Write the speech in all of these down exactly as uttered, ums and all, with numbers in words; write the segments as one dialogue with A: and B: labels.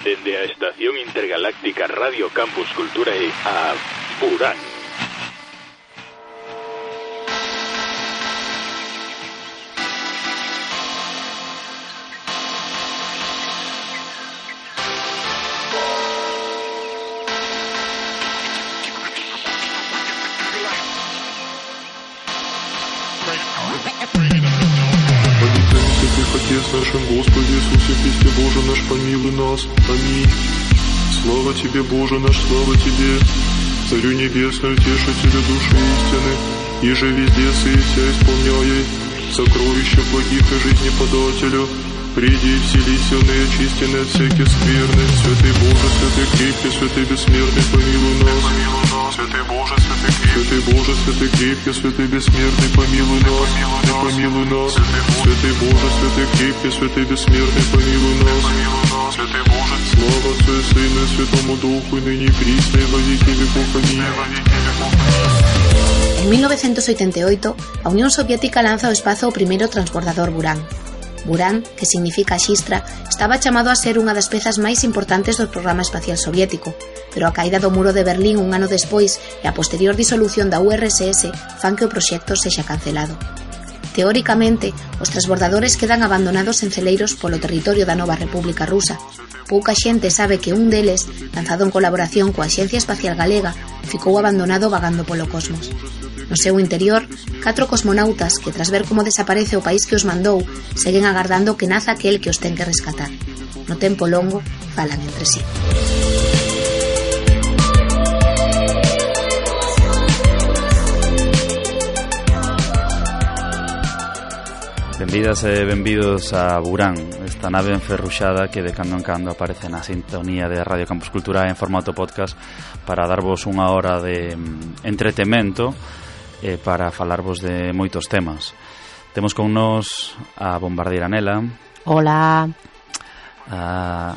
A: Dende a Estación Intergaláctica Radio Campus Culturae a Burán.
B: Отец нашим, Господи Иисусе Христе, Боже наш, помилуй нас. Аминь. Слава Тебе, Боже наш, слава Тебе, Царю Небесную, Тешителю души истины, иже везде сыся исполняй сокровища благих и жизни подателю. Приди и вселися в неочистенные от всяких скверны. Святый Боже, святый крепкий, святый бессмертный, помилуй нас. Святый Боже, святый крепкий, святый Боже, святый крепкий, святый бессмертный, помилуй нас. Помилуй нас. Святый Боже, святый крепкий, святый бессмертный, помилуй нас. Святый Боже, слава Отцу и Сыну и Святому Духу, и ныне и присно, и во веки веков. Аминь.
C: En mil novecientos oitenta e oito, a Unión Soviética lanza ao espazo o primeiro transbordador Buran. Buran, que significa xistra, estaba chamado a ser unha das pezas máis importantes do programa espacial soviético, pero a caída do muro de Berlín un ano despois e a posterior disolución da U R S S fan que o proxecto sexa cancelado. Teóricamente, os transbordadores quedan abandonados en celeiros polo territorio da nova República Rusa. Pouca xente sabe que un deles, lanzado en colaboración coa Axencia Espacial Galega, ficou abandonado vagando polo cosmos. No seu interior, catro cosmonautas que, tras ver como desaparece o país que os mandou, seguen agardando que naza aquel que os ten que rescatar. No tempo longo, falan entre sí.
D: Benvidas e benvidos a Burán, esta nave enferruxada que de cando en cando aparece na sintonía de Radio Campus Culturae en formato podcast para darvos unha hora de entretemento e para falarvos de moitos temas. Temos con nos a bombardeira Nela.
E: Hola.
D: A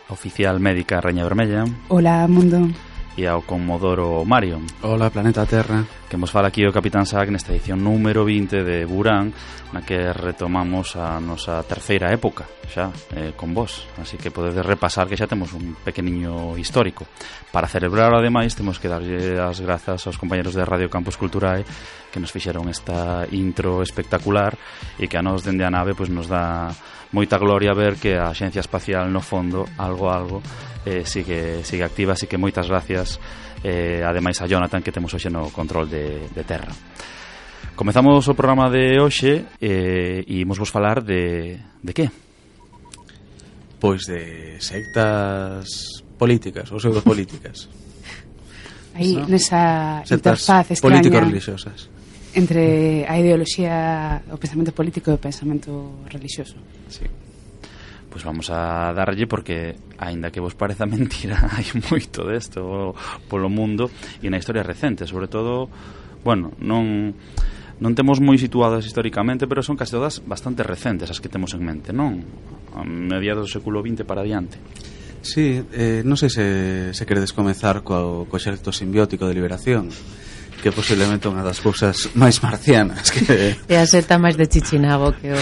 D: oficial médica Raña Vermella.
E: Hola, mundo.
D: E ao conmodoro Mario.
F: Hola, planeta Terra.
D: Que nos fala aquí o Capitán Sack nesta edición número vinte de Burán, na que retomamos a nosa terceira época xa, eh, con vos. Así que podedes repasar que xa temos un pequeniño histórico. Para celebrar, ademais, temos que darlle as grazas aos compañeros de Radio Campus Culturae que nos fixeron esta intro espectacular e que a nos dende a nave pois, nos dá moita gloria ver que a Axencia Espacial no fondo, algo algo, eh, sigue, sigue activa, así que moitas gracias eh, ademais a Jonathan que temos hoxe no control de, de terra. Comezamos o programa de hoxe eh, e imos vos falar de, de que?
F: Pois de sectas políticas ou pseudopolíticas.
E: Aí,
F: ¿no?
E: nesa
F: Sectas
E: interfaz extraña
F: político-religiosas
E: entre a ideoloxía, o pensamento político e o pensamento religioso.
F: Sí.
D: Pois vamos a darlle porque, aínda que vos pareza mentira, hai moito desto polo mundo e na historia recente, sobre todo, bueno, non non temos moi situadas históricamente, pero son case todas bastante recentes as que temos en mente, non? A mediados do século vinte para adiante.
F: Sí, eh, non sei se, se queredes comezar co, co exército simbiótico de liberación, que posiblemente unha das cousas máis marcianas que...
G: E a seta máis de Chichinago que o...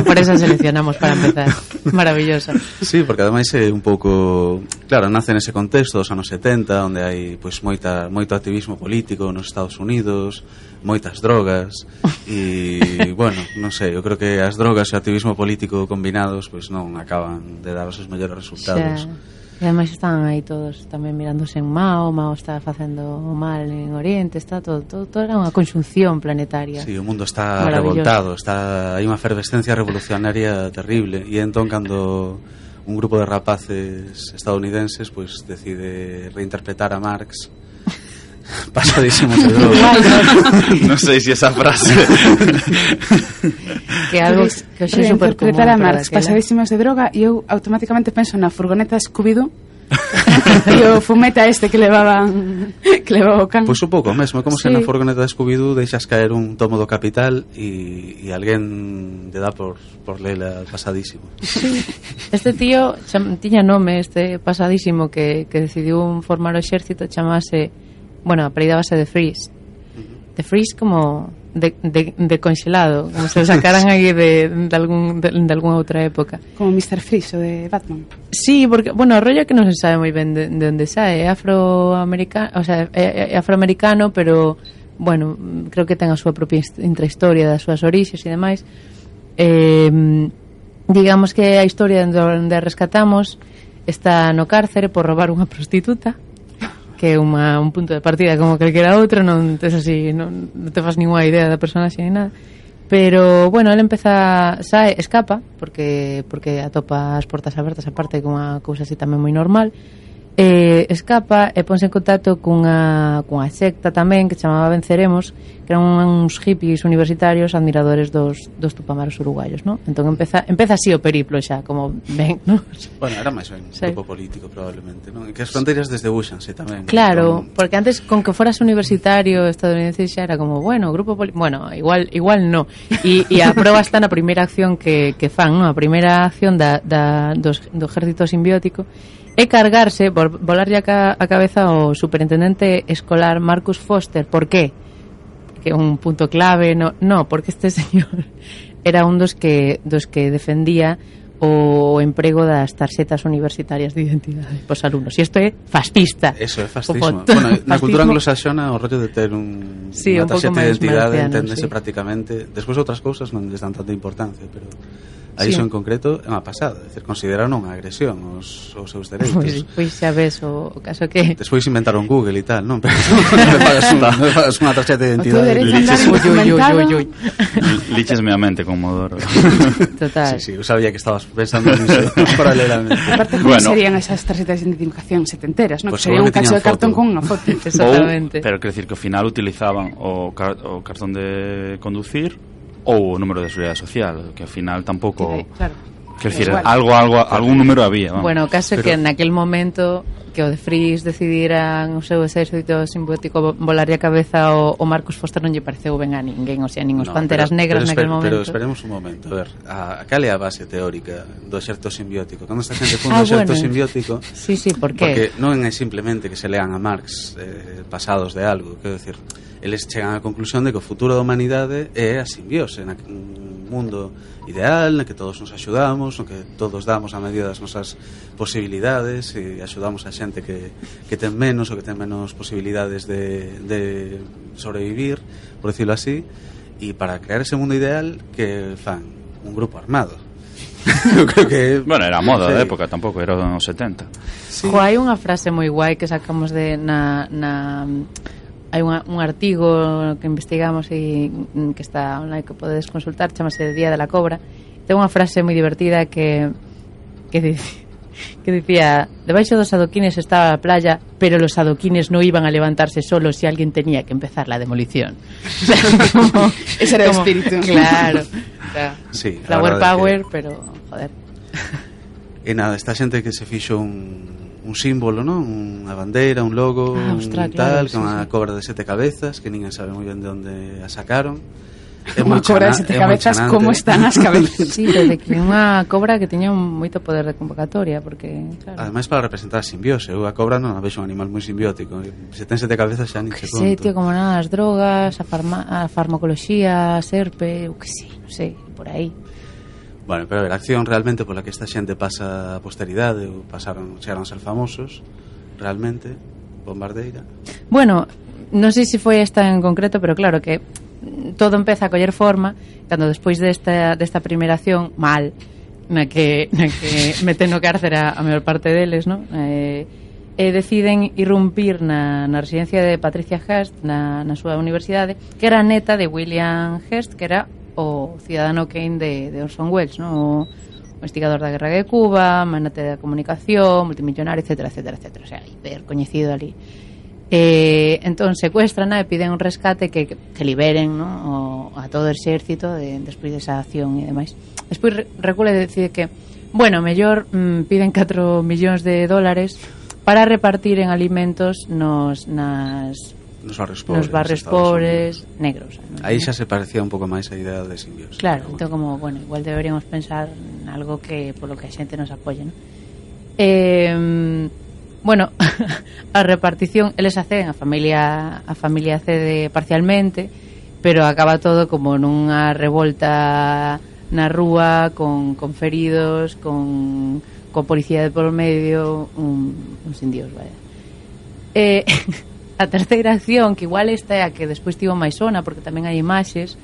G: por eso seleccionamos para empezar. Maravillosa.
F: Sí, porque ademais é un pouco... Claro, nace nese contexto dos anos setenta, onde hai pois moita, moito activismo político nos Estados Unidos, moitas drogas e, bueno, non sei, eu creo que as drogas e o activismo político combinados pois non acaban de dar os mellores resultados.
G: Xa. E ademais están aí todos tamén mirándose en Mao, Mao está facendo o mal en Oriente, está todo, todo, todo era unha conxunción planetaria.
F: Sí, o mundo está revoltado, está hai unha efervescencia revolucionaria terrible e entón cando un grupo de rapaces estadounidenses pois pues, decide reinterpretar a Marx pasadísimos de droga.
D: Non sei se esa frase
G: que algo que hoxe é super común.
E: Reinterpretar a Marx, pasadísimos de droga, e eu automáticamente penso na furgoneta Scooby-Doo e o fumeta este que levaban que levaba o can.
F: Pois un pouco mesmo, como
E: sí.
F: Se na furgoneta de Scooby-Doo deixas caer un tomo do Capital e, e alguén lle dá por, por lela pasadísimo.
G: Sí. Este tío cham, tiña nome, este pasadísimo que, que decidiu formar o exército, chamase, bueno, apellidábase The Freeze. The Freeze como de, de, de congelado, como se sacaran aí de, de, algún, de, de alguna outra época.
E: Como mister Freeze, o de Batman.
G: Sí, porque, bueno, o rollo que non se sabe moi ben de, de onde sae, é afroamericano, o sea, é, é afroamericano, pero, bueno, creo que ten a súa propia intrahistoria das súas orixes e demais. Eh, digamos que a historia onde rescatamos está no cárcere por robar unha prostituta, que é unha, un punto de partida como calquera outro, non tes así, non, non te fas ninguna idea da personaxe ni nada. Pero, bueno, ele empeza, sae, escapa, porque porque atopa as portas abertas, aparte con unha cousa así tamén moi normal. Eh, escapa e ponse en contacto cunha, cunha secta tamén que chamaba Venceremos, que eran uns hippies universitarios admiradores dos, dos tupamaros uruguayos, ¿no? Entón empeza, empeza así o periplo xa, como ven, ¿no?
F: Bueno, era máis ben un
G: sí.
F: grupo político probablemente, ¿no? E que as fronteiras desdebúxanse tamén.
G: Claro,
F: con...
G: porque antes con que foras universitario estadounidense xa era como, bueno, grupo político, bueno, igual igual no. E, e a proba está na primeira acción que, que fan, ¿no? A primeira acción da, da, dos, do ejército simbiótico é cargarse, volarlle a, a cabeza ao superintendente escolar Marcus Foster. Por qué? Que é un punto clave, no, no, porque este señor era un dos que dos que defendía o emprego das tarxetas universitarias de identidade pos alumnos. E isto é fascista.
F: Eso é fascismo. Bueno, na cultura anglosaxona o rollo de ter un,
G: sí,
F: unha
G: un
F: tarxeta de identidade
G: sí.
F: enténdese prácticamente. Despois outras cousas non lles dan tanta importancia, pero a iso
G: sí.
F: en concreto é unha pasada, é dicir, consideraron unha agresión aos, aos seus dereitos.
G: Pois, pois xa ves o, o caso que
F: despois inventaron Google e tal, non? Pero non pagas unha, non pagas unha tarxeta de identidade.
D: Lichesme a mente con Modoro.
G: Total.
F: Sí, sí, eu sabía que estabas pensando niso paralelamente.
E: Aparte, como bueno, serían esas tarxetas de identificación setenteras, ¿no?
F: Pues
E: que sería un cacho de cartón con unha foto.
G: Exactamente.
D: Ou, pero quer decir que ao final utilizaban o, car o cartón de conducir ou o número de seguridade social, que ao final tampouco...
E: Claro.
D: Quer decir, algo, algo, algún número había. Vamos.
G: Bueno, o caso é
F: pero...
G: que naquel momento que o de Freeze decidiran o seu exército simbiótico volarlle a cabeza o, o Marcus Foster non lle pareceu ben a ninguén, o sea, nin os no, Panteras pero, Negras
F: pero
G: naquel
F: esper,
G: momento.
F: Pero esperemos un momento, a ver, a, a cal é a base teórica do exército simbiótico? Cando esta xente funda
G: ah,
F: o exército
G: bueno.
F: simbiótico,
G: sí, sí, por que?
F: Porque non é simplemente que se lean a Marx eh, pasados de algo, quero decir, eles chegan á conclusión de que o futuro da humanidade é a simbiose, na, un mundo ideal, na que todos nos axudamos, no que todos damos a medida das nosas posibilidades e axudamos a xente que, que ten menos ou que ten menos posibilidades de, de sobrevivir, por decirlo así, e para crear ese mundo ideal que fan un grupo armado. Eu creo que
D: bueno, era a moda
F: sí.
D: da época, tampouco era nos setenta.
G: Sí. Jo, hai unha frase moi guai que sacamos de na, na hai unha, un artigo que investigamos e que está online que podedes consultar, chamase Día de la Cobra. Ten unha frase moi divertida que que dice que dicía, debaixo dos adoquines estaba a playa, pero los adoquines no iban a levantarse solos si alguien tenía que empezar la demolición. O sea, como,
E: ese era como, el espíritu.
G: Claro. O sea,
F: sí,
G: flower power,
F: que...
G: pero joder.
F: E nada, esta xente que se fixo un un símbolo, ¿no? Unha bandeira, un logo,
G: ah,
F: un
G: ostras,
F: tal,
G: claro,
F: con
G: sí,
F: unha
G: sí.
F: cobra de sete cabezas, que ninguén sabe moi ben de onde a sacaron.
E: É unha cobra de sete cabezas, como están as cabezas?
G: Sí, desde que unha cobra que tiña un moito poder de convocatoria, porque, claro.
F: Ademais, para representar a simbiose, eu a cobra non a vexo un animal moi simbiótico. Se ten sete cabezas xa nin che conto.
G: Sí, tío, como nada, as drogas, a, farma, a farmacoloxía, a serpe, o que sei, non sei, por aí.
F: Bueno, pero a ver, a acción realmente pola que esta xente pasa a posteridade ou pasaron, chegaron a ser famosos realmente, Bombardeira.
G: Bueno, non sei se foi esta en concreto, pero claro que todo empeza a coller forma cando despois desta, desta primeira acción mal, na que, na que meten no cárcere a, a maior parte deles, ¿no? Eh, e deciden irrumpir na, na residencia de Patricia Hearst na, na súa universidade, que era neta de William Hearst, que era o Ciudadano Kane de, de Orson Welles, ¿no? O, o investigador da Guerra de Cuba, magnate da comunicación, multimillonario, etcétera, etcétera, etcétera. O sea, hiper coñecido ali. Eh, entón secuestran e piden un rescate que, que liberen, ¿no? o, a todo o exército de, despois desa acción e demais. Despois recule e decide que, bueno, mellor mm, piden catro millóns de dólares para repartir en alimentos nos nas
F: nos barrios pobres,
G: nos barrios pobres negros, ¿no?
F: Aí xa se parecía un pouco máis a idea de simbiose.
G: Claro, entón como, bueno, igual deberíamos pensar en algo que polo que a xente nos apoye, ¿no? Eh, bueno, a repartición eles acceden, a familia a familia cede parcialmente, pero acaba todo como nunha revolta na rúa con, con feridos, con, con policía de polo medio, un, un sin Dios, vaya. Eh, a terceira acción, que igual esta é a que despois tivo máis sona, porque tamén hai imaxes,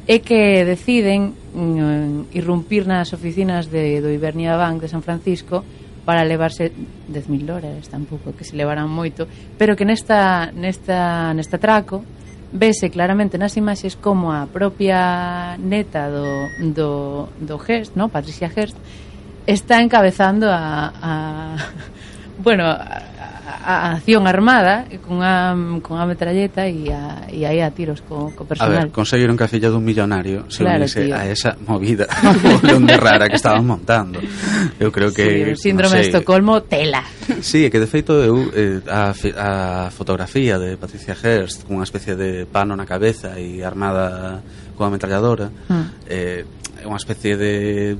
G: é que deciden mm, irrumpir nas oficinas de, do Ibernia Bank de San Francisco para levarse dez mil dólares, tampouco que se levaran moito, pero que nesta, nesta, nesta traco vese claramente nas imaxes como a propia neta do, do, do Hearst, ¿no? Patricia Hearst, está encabezando a, a bueno, a, a acción armada con a, con a metralleta e a, e aí a tiros co, co personal.
F: A ver, conseguiron que a filla dun millonario se
G: claro,
F: unise
G: tío.
F: a esa movida de rara que estaban montando. Eu creo que...
G: Sí, o síndrome
F: no
G: de Estocolmo, tela.
F: Sí, é que de feito eu, eh, a, a fotografía de Patricia Hearst con unha especie de pano na cabeza e armada con a metralladora mm. eh, é unha especie de,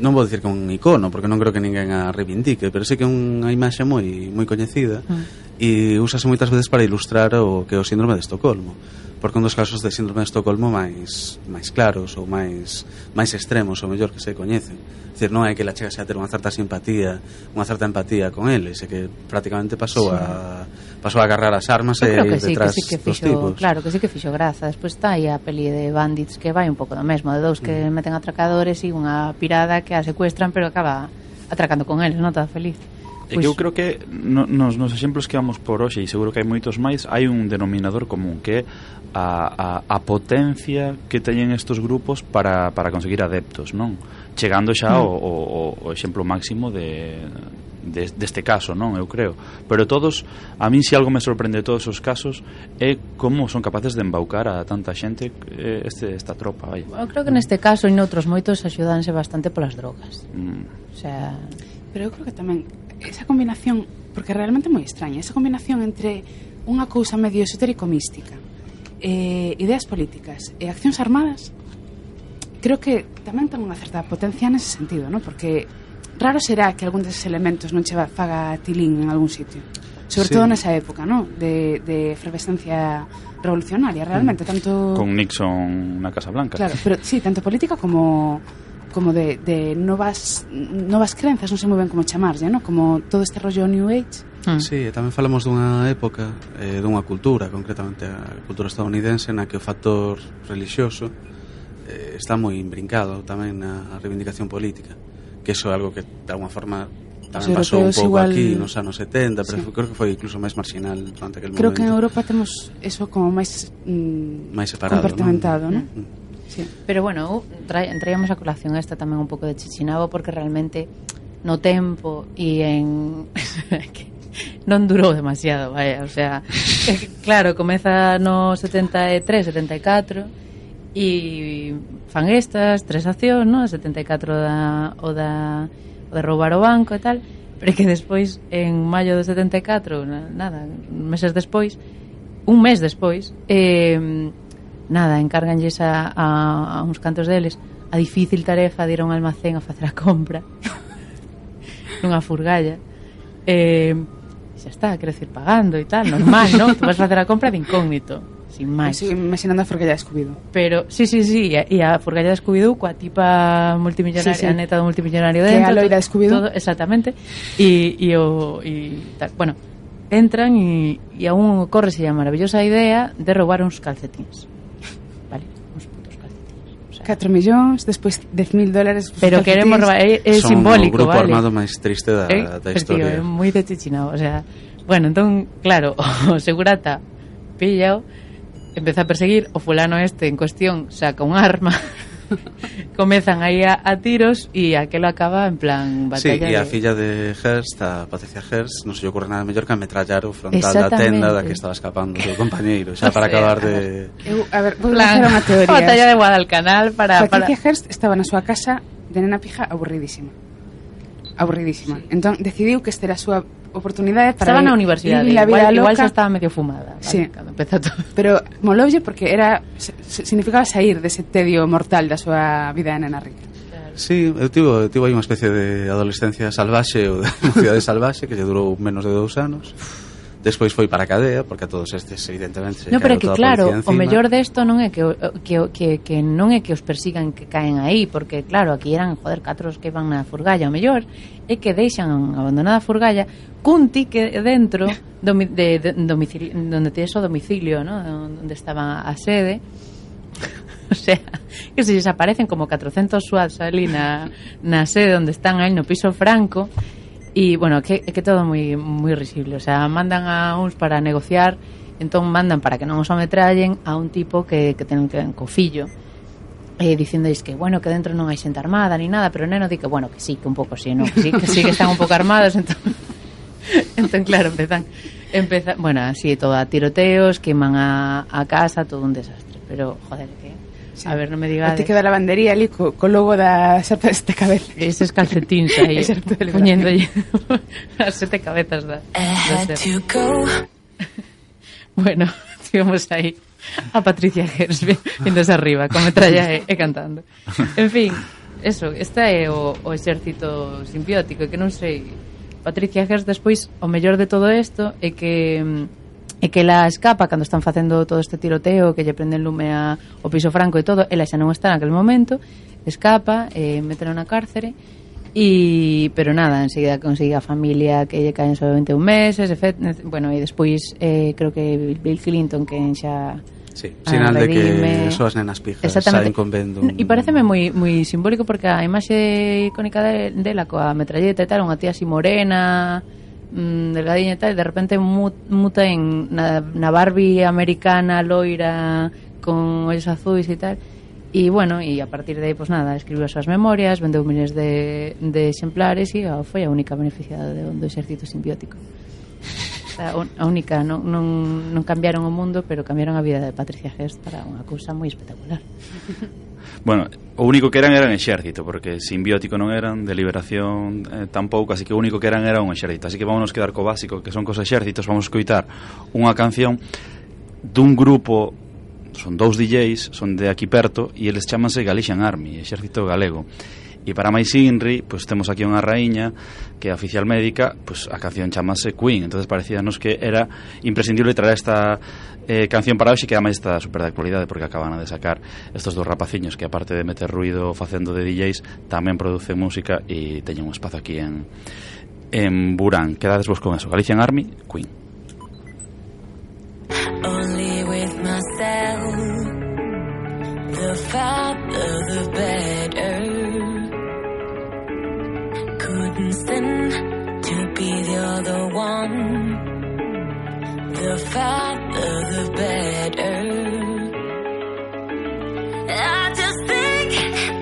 F: non vou dicir que un icono porque non creo que ninguén a reivindique, pero sí que é unha imaxe moi moi coñecida mm. e úsase moitas veces para ilustrar o que é o síndrome de Estocolmo, porque un dos casos de síndrome de Estocolmo máis máis claros ou máis máis extremos ou mellor que se coñecen. É dicir, non é que la chega xa ter unha certa simpatía, unha certa empatía con eles, é que prácticamente pasou sí. a pasou a agarrar as armas e ir
G: sí,
F: detrás
G: que sí que
F: dos
G: fixo,
F: tipos.
G: claro, que sí que fixo graza. Despois está aí a peli de Bandits que vai un pouco do mesmo, de dous que mm. meten atracadores e unha pirada que a secuestran pero acaba atracando con eles, non está feliz.
D: E que eu creo que no, nos, nos exemplos que vamos por hoxe, e seguro que hai moitos máis, hai un denominador común que é a, a, a potencia que teñen estos grupos para, para conseguir adeptos, non? Chegando xa mm. o, o, o exemplo máximo de, de deste caso, non? Eu creo. Pero todos, a min se algo me sorprende de todos os casos é como son capaces de embaucar a tanta xente este, esta tropa, vai.
G: Eu creo que neste caso e noutros moitos axudanse bastante polas drogas. Mm. O sea,
E: pero eu creo que tamén esa combinación, porque realmente é moi extraña, esa combinación entre unha cousa medio esotérico-mística, eh, ideas políticas e accións armadas, creo que tamén ten unha certa potencia nese sentido, ¿no? Porque raro será que algún deses elementos non che faga tilín en algún sitio, sobre sí. todo nesa época, ¿no? De, de efervescencia revolucionaria, realmente, mm. tanto...
D: Con Nixon na Casa Blanca.
E: Claro, pero sí, tanto política como... como de, de novas novas crenzas, non sei moi ben como chamarlle, ¿no? Como todo este rollo New Age.
F: Mm. Sí, tamén falamos dunha época, eh, dunha cultura, concretamente a cultura estadounidense, na que o factor religioso eh, está moi imbrincado tamén na reivindicación política, que iso é algo que de alguma forma tamén pasou un pouco igual... aquí nos anos setenta, pero sí. creo que foi incluso máis marginal durante aquel
E: creo
F: momento.
E: Creo que en Europa temos eso como máis mm,
F: máis separado,
E: compartimentado, ¿no? ¿no?
G: Mm. Sí. Pero bueno, traíamos a colación esta tamén un pouco de Chichinabo porque realmente no tempo e en non durou demasiado, vaya, o sea, claro, comeza no setenta e tres, setenta e catro e fan estas tres accións, no, setenta e catro da o da o de roubar o banco e tal, pero que despois en maio do setenta e catro, nada, meses despois, un mes despois, eh nada, encárganlles a, a, a uns cantos deles a difícil tarefa de ir a un almacén a facer a compra nunha furgalla e eh, xa está, quero decir, pagando e tal, normal, non? Tú vas a facer a compra de incógnito, sin máis.
E: Sigo imaginando a furgalla de Scooby-Doo.
G: Pero, sí, sí, sí, e a furgalla de Scooby-Doo coa tipa multimillonaria, sí, sí. a neta do multimillonario dentro.
E: Que a loira de Scooby-Doo.
G: Exactamente. E, e o... E, tal, bueno, entran e, e a un ocórrese a maravillosa idea de roubar uns calcetines.
E: catro millóns, despois dez mil dólares.
G: Pero queremos robar, é, é simbólico,
F: vale? Son o grupo
G: vale?
F: armado máis triste da,
G: eh,
F: da historia.
G: É moi de Chichinabo, o sea, bueno, entón, claro, o segurata pillao, empeza a perseguir o fulano este en cuestión, saca un arma, comezan aí a, a tiros e aquelo acaba en plan batalla.
F: Sí, e a
G: de...
F: filla de Hearst, a Patricia Hearst, non se lle ocurre nada mellor que ametrallar o frontal da tenda da que estaba escapando o compañeiro, xa para acabar de...
E: Eu, a ver, vou lanzar unha teoría.
G: Batalla de Guadalcanal para...
E: Patricia
G: para...
E: Hearst estaba na súa casa de nena pija aburridísima. Aburridísima. Sí. Entón, decidiu que esta era a súa oportunidade para...
G: Estaba na universidade,
E: igual,
G: igual xa estaba medio fumada, vale,
E: sí.
G: Cando empezou todo.
E: Pero moloulle porque era significaba sair dese tedio mortal da súa vida de nena rica.
F: Claro. Sí, eu tivo, eu tivo aí unha especie de adolescencia salvaxe ou de mocidade salvaxe que lle durou menos de dous anos Despois foi para a cadea, porque a todos estes evidentemente se
G: no, pero é que claro, o mellor
F: de
G: desto non é que, que, que, que non é que os persigan que caen aí, porque claro, aquí eran, joder, catros que van na furgalla. O mellor é que deixan abandonada a furgalla cun tique dentro domi, de, de, domicilio, donde tienes o domicilio, ¿no? Donde estaba a sede. O sea, que se desaparecen como catrocentos swats ali na, na sede onde están aí no piso Franco. E, bueno, que, que todo moi moi risible. O sea, mandan a uns para negociar, entón mandan para que non os ametrallen a un tipo que, que ten que co fillo, eh, dicéndois que, bueno, que dentro non hai xente armada ni nada, pero o neno di que, bueno, que sí, que un pouco sí, no, que sí, que sí que están un pouco armados, entón, entón claro, empezan, empezan, bueno, así todo a tiroteos, queman a, a casa, todo un desastre, pero, joder, que... Sí. A ver, non me digades.
E: Te queda a lavandería ali co, co logo da sete este cabeza.
G: Eses calcetins aí poñéndolle as sete cabezas da, da Bueno, tivemos aí a Patricia Gers vindos arriba con metralla e, e cantando. En fin, eso, esta é o, o exército simbiótico, que non sei, Patricia Gers despois o mellor de todo isto é que e que ela escapa cando están facendo todo este tiroteo, que lle prenden lume a, o piso Franco e todo, ela xa non está naquele momento, escapa, eh, metela na cárcere, e, pero nada, enseguida consigue a familia que lle caen sobre veintiún meses, efect, bueno, e despois eh, creo que Bill Clinton, que xa...
F: Sí, sinal de que soas nenas pijas saen con vendo un...
G: E pareceme moi, moi simbólico, porque a imaxe icónica de, dela coa metralleta e tal, unha tía así morena... Mm, delgadinha e tal, e de repente muta en na, na Barbie americana loira con ollos azuis e tal, e bueno, e a partir de aí, pues nada, escribiu as súas memorias, vendeu miles de, de exemplares e oh, foi a única beneficiada do, do exército simbiótico. A, a única, non, non, non cambiaron o mundo, pero cambiaron a vida de Patricia Gers para unha cousa moi espectacular.
D: Bueno, o único que eran eran exército, porque simbiótico non eran, de liberación eh, tampouco, así que o único que eran era un exército. Así que vámonos quedar co básico, que son cos exércitos. Vamos a escoitar unha canción dun grupo, son dous D Js, son de aquí perto, e eles chamanse Galician Army, exército galego. E para máis inri, pois temos aquí unha raíña que é oficial médica, pois a canción chamase Queen. Entonces parecíanos que era imprescindible traer esta eh, canción para hoxe, que ademais está super de actualidade, porque acaban de sacar estos dos rapaciños que, aparte de meter ruido facendo de D Js, tamén producen música e teñen un espazo aquí en, en Burán. Quedades vos con eso. Galician Army, Queen.
H: Only with myself, the farther the better. Couldn't stand to be the other one. The farther the better. I just think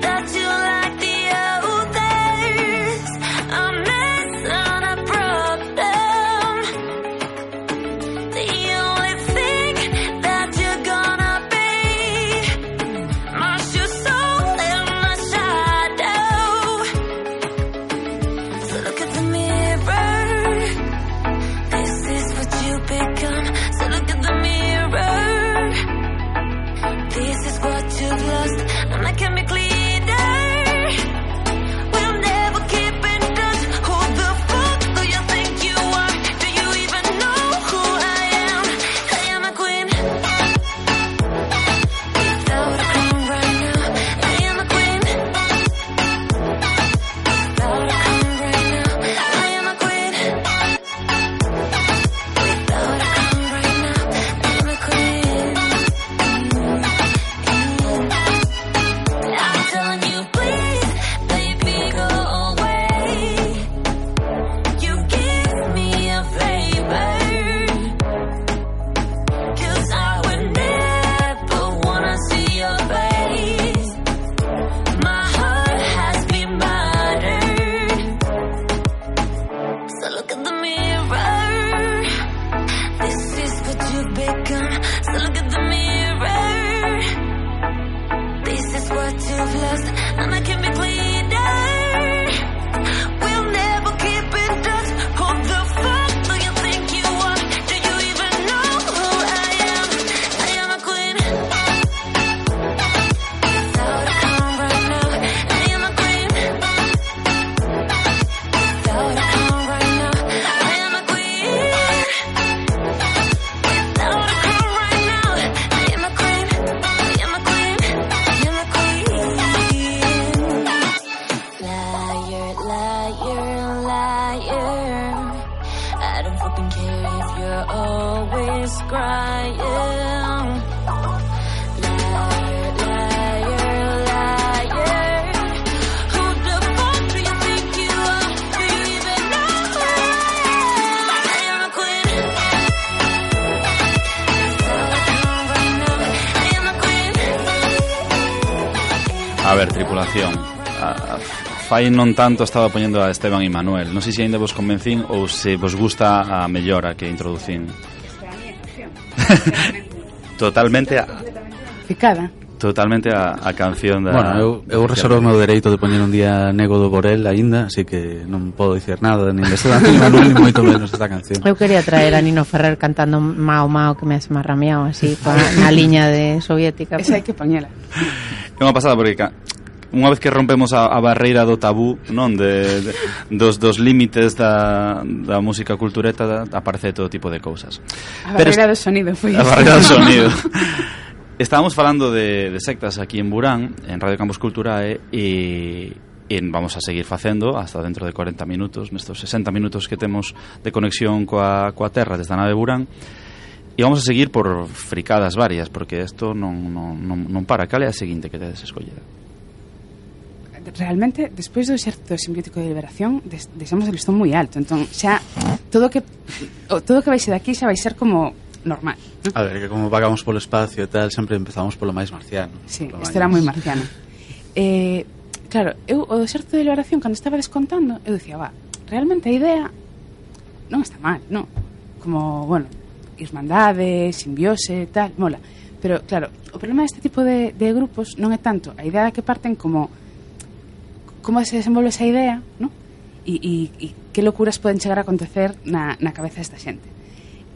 H: that you like the others. A mess and a problem. The only thing that you're gonna be, march your soul in the shadow. So look at the mirror. This is what you become. So look at the mirror. you're always crying. Liar, liar, liar. Who the fuck do you think you are? Do you even know who I am? I am a queen. I am a queen.
D: A ver, tripulación. A, a, fai non tanto estaba poñendo a Esteban e Manuel. Non sei se ainda vos convencín ou se vos gusta a mellora que introducín. Totalmente a,
E: Ficada.
D: totalmente a, a canción da...
F: Bueno, eu, eu reservo o meu dereito de poñer un día Nego do Borel aínda, así que non podo dicir nada nin de Esteban ni Manuel, ni moito menos esta canción.
G: Eu quería traer a Nino Ferrer cantando Mao Mao, que me has marrameado así pa, na liña de soviética.
E: Esa hai que poñela.
D: É unha pasada porque ca, unha vez que rompemos a, a barreira do tabú, non, de, de dos dos límites da, da música cultureta, da, aparece todo tipo de cousas.
E: A barreira do sonido foi
D: A barreira do sonido. Estábamos falando de, de sectas aquí en Burán, en Radio Campus Culturae, e, e vamos a seguir facendo hasta dentro de cuarenta minutos, nestos sesenta minutos que temos de conexión coa, coa terra desde a nave Burán. E vamos a seguir por fricadas varias, porque isto non, non, non, non para. Cal é a seguinte que tedes escollida?
E: Realmente, despois do exército simbiótico de liberación, des, deixamos o listón moi alto. Entón, xa, todo que o, todo que vai ser daqui xa vai ser como normal, ¿no?
F: A ver, que como vagamos polo espacio e tal, sempre empezamos polo máis marciano.
E: Sí,
F: polo
E: isto era moi marciano. Eh, claro, eu o do exército de liberación, cando estaba descontando, eu dicía, va, realmente a idea non está mal, non? Como, bueno, irmandade, simbiose, tal, mola. Pero, claro, o problema deste tipo de, de grupos non é tanto a idea que parten como como se desenvolve esa idea, ¿no? E, e, e que locuras poden chegar a acontecer na, na cabeza desta xente.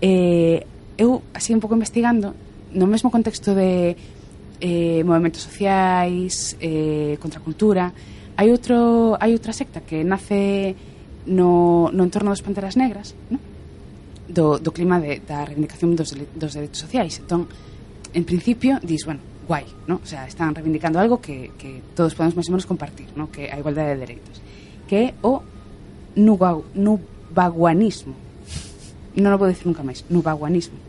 E: Eh, eu, así un pouco investigando, no mesmo contexto de eh, movimentos sociais, eh, contracultura, hai outro hai outra secta que nace no, no entorno das Panteras Negras, ¿no? do, do clima de, da reivindicación dos, dos dereitos sociais. Entón, en principio, dis, bueno, guai, ¿no? O sea, están reivindicando algo que, que todos podemos máis ou menos compartir, ¿no? Que a igualdade de dereitos, que é o nuba, nubaguanismo. Non o vou dicir nunca máis, nubaguanismo.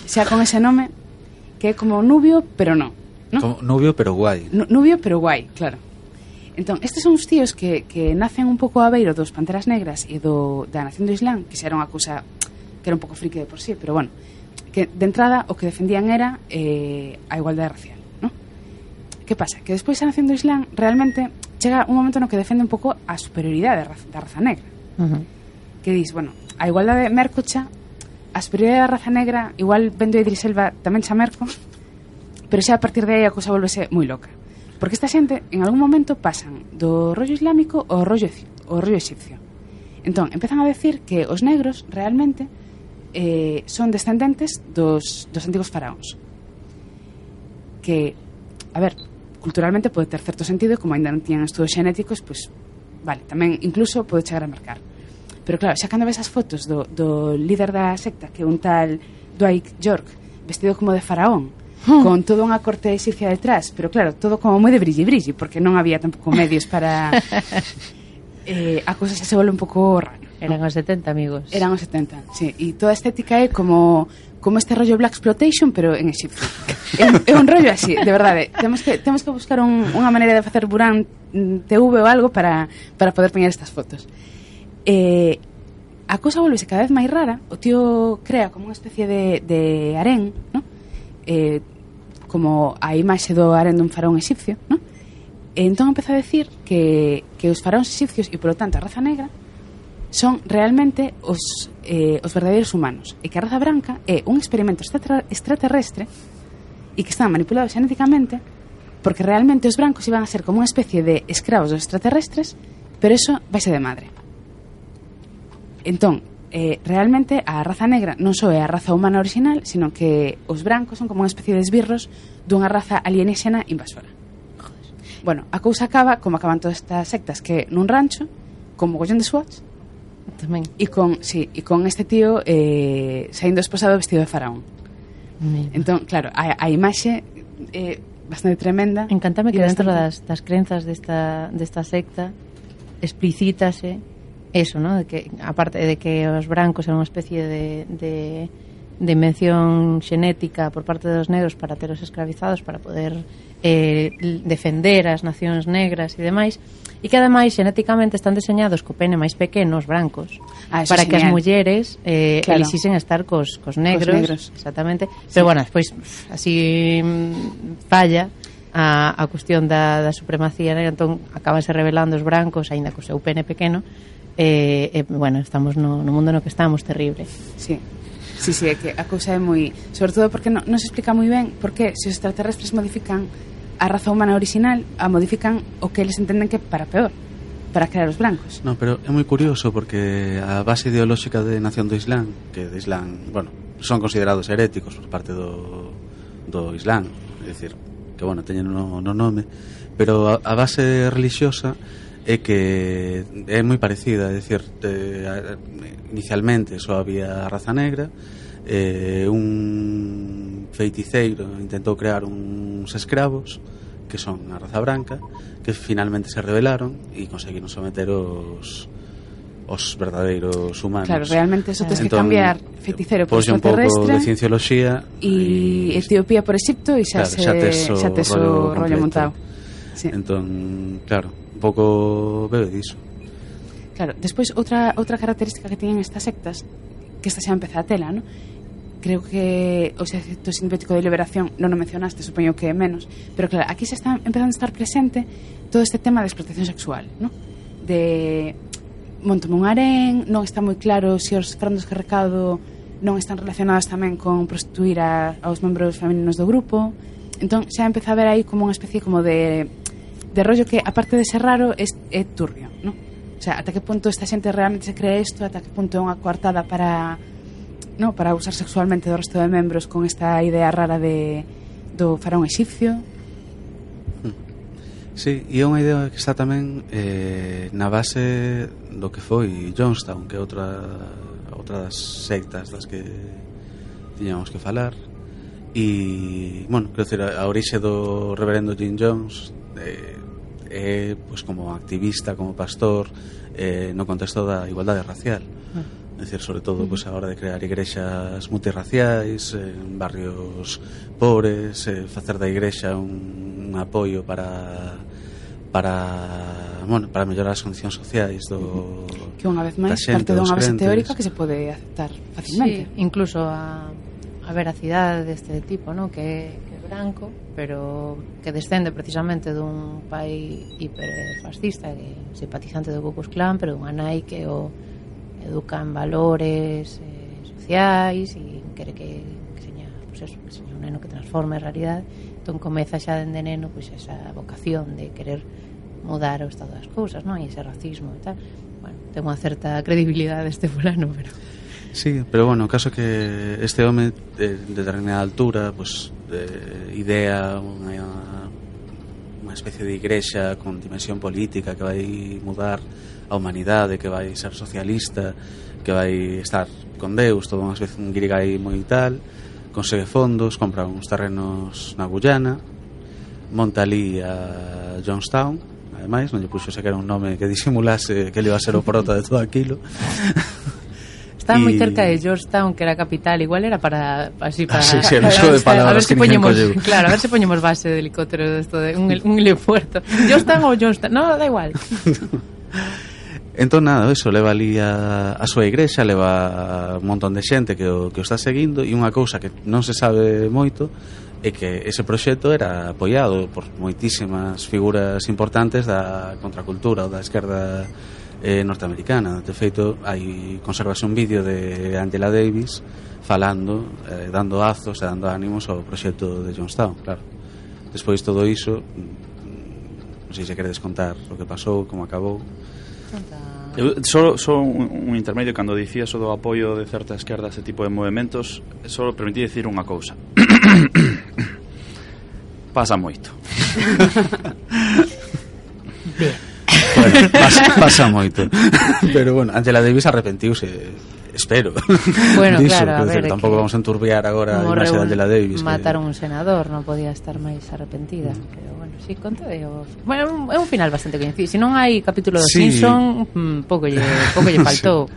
E: Xa con ese nome, que é como nubio, pero non, ¿no?
F: Como nubio, pero guai.
E: Nu, nubio, pero guai, claro. Entón, estes son os tíos que, que nacen un pouco a beiro dos Panteras Negras e do, da Nación do Islán, que xa era unha cousa que era un pouco friki de por sí, pero bueno, que de entrada o que defendían era eh, a igualdade racial, ¿no? Que pasa? Que despois a Nación do Islán realmente chega un momento no que defende un pouco a superioridade da raza, da raza negra.
G: Uh-huh.
E: Que dis, bueno, a igualdade mercocha, a superioridade da raza negra igual vendo a Idris Elba tamén xa merco, pero xa a partir de aí a cousa volvese moi loca. Porque esta xente en algún momento pasan do rollo islámico ao rollo, ao rollo egipcio. Entón, empezan a decir que os negros realmente eh, son descendentes dos, dos antigos faraóns, que, a ver, culturalmente pode ter certo sentido, como ainda non tiñan estudos xenéticos, pois, vale, tamén incluso pode chegar a marcar. Pero claro, xa cando ves as fotos do, do líder da secta, que é un tal Dwight York, vestido como de faraón, hmm. con toda unha corte egipcia detrás, pero claro, todo como moi de brilli-brilli, porque non había tampouco medios para... eh, a cousa xa se volve un pouco raro.
G: Eran os setenta, amigos.
E: Eran os setenta, sí. E toda a estética é como como este rollo Black Exploitation, pero en Egipto. é, é un rollo así, de verdade. Temos que temos que buscar un, unha maneira de facer Burán T V ou algo para, para poder poñer estas fotos. Eh, a cousa volvese cada vez máis rara. O tío crea como unha especie de, de harén, ¿no? Eh, como a imaxe do harén dun faraón egipcio, ¿no? E entón empeza a decir que, que os faraóns egipcios e, polo tanto, a raza negra son realmente os, eh, os verdadeiros humanos, e que a raza branca é un experimento extraterrestre e que están manipulados xenéticamente, porque realmente os brancos iban a ser como unha especie de escravos dos extraterrestres, pero eso vaise de madre. Entón, eh, realmente a raza negra non só é a raza humana original, sino que os brancos son como unha especie de esbirros dunha raza alienígena invasora. Bueno, a cousa acaba como acaban todas estas sectas, que nun rancho con mogollón de SWATs
G: tamén.
E: E con, sí, e con este tío eh, saindo esposado vestido de faraón.
G: Mira.
E: Entón, claro, a, a imaxe é eh, bastante tremenda.
G: Encántame que dentro
E: bastante...
G: das, das crenzas desta, desta secta explicítase eso, ¿no? De que, aparte de que os brancos eran unha especie de, de, de invención xenética por parte dos negros para teros escravizados, para poder eh, defender as nacións negras e demais, e que ademais xenéticamente están diseñados co pene máis pequeno, os brancos,
E: Ah,
G: para
E: é
G: que as
E: genial.
G: mulleres eh,
E: Claro.
G: elixisen estar cos, cos negros,
E: negros.
G: exactamente, pero bueno, despois pff, así mm, falla a, a cuestión da, da supremacía, né? Entón acabanse revelando os brancos aínda co seu pene pequeno. E, eh, eh, bueno, estamos no, no mundo no que estamos terrible.
E: Sí. Sí, sí, é que a cousa é moi... Sobre todo porque non, non se explica moi ben por que se os extraterrestres modifican a raza humana original, a modifican o que eles entenden que para peor, para crear os blancos.
F: No, pero é moi curioso porque a base ideolóxica de Nación do Islán, que de Islán, bueno, son considerados heréticos por parte do, do Islán, é dicir, que, bueno, teñen no, no nome, pero a, a base religiosa é que é moi parecida, é dicir, de, a, inicialmente só había raza negra, eh, un feiticeiro intentou crear uns escravos que son a raza branca, que finalmente se rebelaron e conseguiron someter os os verdadeiros humanos.
E: Claro, realmente eso tens que
F: Entón,
E: cambiar feiticeiro por
F: pois un pouco de
E: extraterrestre
F: ciencioloxía
E: e Etiopía por Egipto e xa,
F: claro,
E: se,
F: xa tes o
E: xa tes o
F: rollo
E: rollo
F: completo.
E: montado. Sí.
F: Entón, claro, un pouco bebe diso.
E: Claro, despois outra outra característica que teñen estas sectas, que esta xa empeza a tela, ¿no? Creo que o Exército Sintético de Liberación non o mencionaste, supoño que menos, pero claro, aquí se está empezando a estar presente todo este tema de explotación sexual, ¿no? De montome un harén, non está moi claro se os frandos que recado non están relacionados tamén con prostituir a, aos membros femininos do grupo. Entón xa empeza a ver aí como unha especie como de de rollo que, aparte de ser raro, é, é turbio, ¿no? O sea, ata que punto esta xente realmente se cree isto, ata que punto é unha coartada para, no, para usar sexualmente do resto de membros con esta idea rara de do faraón egipcio.
F: Sí, e é unha idea que está tamén eh, na base do que foi Jonestown, que é outra outra das sectas das que tiñamos que falar. E, bueno, quero dizer, a orixe do reverendo Jim Jones eh, é, pois, como activista, como pastor, eh, no contexto da igualdade racial. É dicir, sobre todo, pois, a hora de crear igrexas multirraciais en barrios pobres, eh, facer da igrexa un, un apoio para para, bueno, para mellorar as condicións sociais do
E: Que unha vez máis
F: da xente,
E: parte dunha
F: dos
E: base
F: crentes.
E: teórica que se pode aceptar facilmente.
G: Sí, incluso a, a veracidade deste tipo, ¿no? que, que é branco, pero que descende precisamente dun pai hiperfascista, que simpatizante do Ku Klux Klan, pero dunha nai que o educa en valores eh, sociais e quere que, que seña, pues eso, que seña un neno que transforme a realidade. Entón comeza xa dende neno pois esa vocación de querer mudar o estado das cousas, non? E ese racismo e tal. Bueno, ten unha certa credibilidade este fulano, pero
F: Sí, pero bueno, o caso que este home de, de determinada altura, pues, de idea unha, unha especie de igrexa con dimensión política que vai mudar a humanidade, que vai ser socialista, que vai estar con Deus, todo unha especie un guirigay moi tal, consegue fondos, compra uns terrenos na Guyana, monta ali a Jonestown, ademais non lle puxo sequera un nome que disimulase que ele iba a ser o prota de todo aquilo.
G: Estaba moi
F: Y-
G: cerca de Georgetown, que era a capital, igual era para así para
F: Ah, sí, sí, el
G: para-
F: uso de
G: a ver
F: palabras
G: si
F: que ninguén
G: poñemos,
F: colleu.
G: claro, a ver se poñemos base de helicóptero de esto de un, un helipuerto. Georgetown ou Georgetown, no, da igual.
F: Entón nada, eso, leva ali a, a súa igrexa, leva un montón de xente que o, que o está seguindo, e unha cousa que non se sabe moito é que ese proxecto era apoiado por moitísimas figuras importantes da contracultura ou da esquerda eh, norteamericana. De feito, hai conservase un vídeo de Angela Davis falando, eh, dando azos e dando ánimos ao proxecto de Jonestown, claro. Despois todo iso, mm, non sei se queredes contar o que pasou, como acabou.
D: Eu só, só un, un intermedio cando dicías o do apoio de certa esquerda a ese tipo de movimentos, só permití decir unha cousa. Pasa moito.
F: Bueno, pasa, pasa moito. Pero bueno, Angela Davis arrepentiuse, espero.
G: Bueno,
F: diso,
G: claro, a
F: quero
G: ver,
F: decir,
G: é
F: tampouco
G: que
F: vamos a enturbiar agora a
G: como
F: imaxe de
G: reun-
F: Angela Davis.
G: mataron un senador, non podía estar máis arrepentida, pero bueno. si conta é o... Bueno, é un- é un final bastante coñecido. Se non hai capítulo do
F: Sí.
G: Simpson, mm, pouco lle, pouco lle faltou.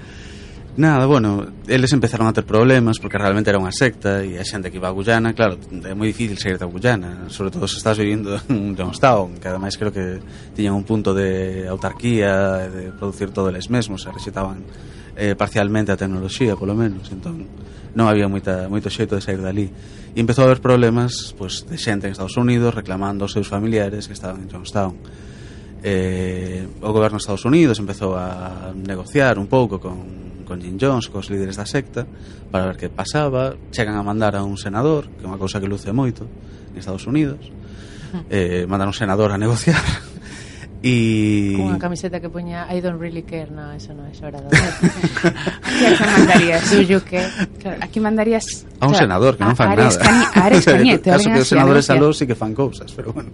F: Nada, bueno, eles empezaron a ter problemas porque realmente era unha secta e a xente que iba a Guyana, claro, é moi difícil sair da Guyana, sobre todo se estás vivindo en Johnstown, que ademais creo que tiñan un punto de autarquía, de producir todo eles mesmos, se rexetaban eh, parcialmente a tecnoloxía, polo menos, entón non había moita, moito xeito de sair dali. E empezou a haber problemas pues, de xente en Estados Unidos reclamando aos seus familiares que estaban en Johnstown. Eh, o goberno de Estados Unidos empezou a negociar un pouco con con Jim Jones, cos líderes da secta, para ver que pasaba. Chegan a mandar a un senador, que é unha cousa que luce moito en Estados Unidos, eh, mandan un senador a negociar e...
G: Cunha camiseta que poña I don't really care. No, eso non é hora de
E: Aquí a que mandarías?
G: Do you care?
E: Claro, aquí mandarías
F: a un
E: claro,
F: senador que non fan
E: a Ares
F: nada.
E: Cani- a Ares Cañete,
F: Caso
E: alguén
F: que os
E: así, a
F: senadores
E: negociar.
F: alós sí que fan cousas, pero bueno.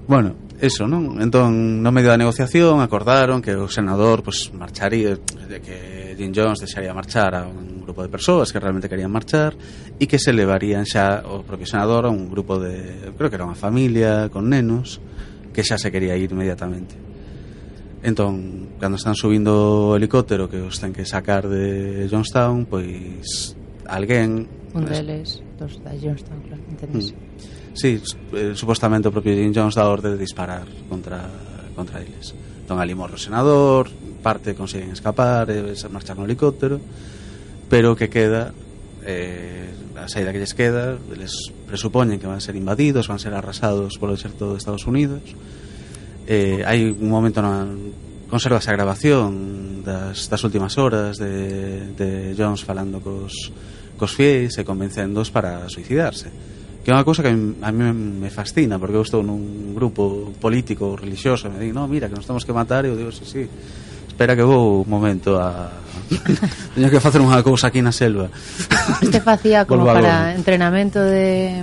F: Bueno, eso, non? Entón, no medio da negociación acordaron que o senador pues marcharía, de que Jim Jones deixaría marchar a un grupo de persoas que realmente querían marchar e que se levarían xa o propio senador a un grupo de, creo que era unha familia con nenos que xa se quería ir inmediatamente. Entón, cando están subindo o helicóptero que os ten que sacar de Johnstown, pois alguén
G: Un
F: pues,
G: deles, dos da Johnstown, claro, entendes?
F: Mm. Sí, eh, supostamente o propio Jim Jones dá orde de disparar contra, contra eles. Entón ali morre o senador, parte consiguen escapar, e se marchar no helicóptero, pero o que queda, eh, a saída que lles queda, eles presupoñen que van a ser invadidos, van a ser arrasados polo exército de Estados Unidos. Eh, hai un momento na conserva esa grabación das, das últimas horas de, de Jones falando cos, cos fiéis e convencéndoos para suicidarse, que é unha cousa que a mí me fascina, porque eu estou nun grupo político religioso e me di, no, mira, que nos temos que matar, e eu digo, sí, sí, espera que vou un momento a teño que facer unha cousa aquí na selva.
G: Este facía como
F: Volvo
G: para
F: agora.
G: entrenamento de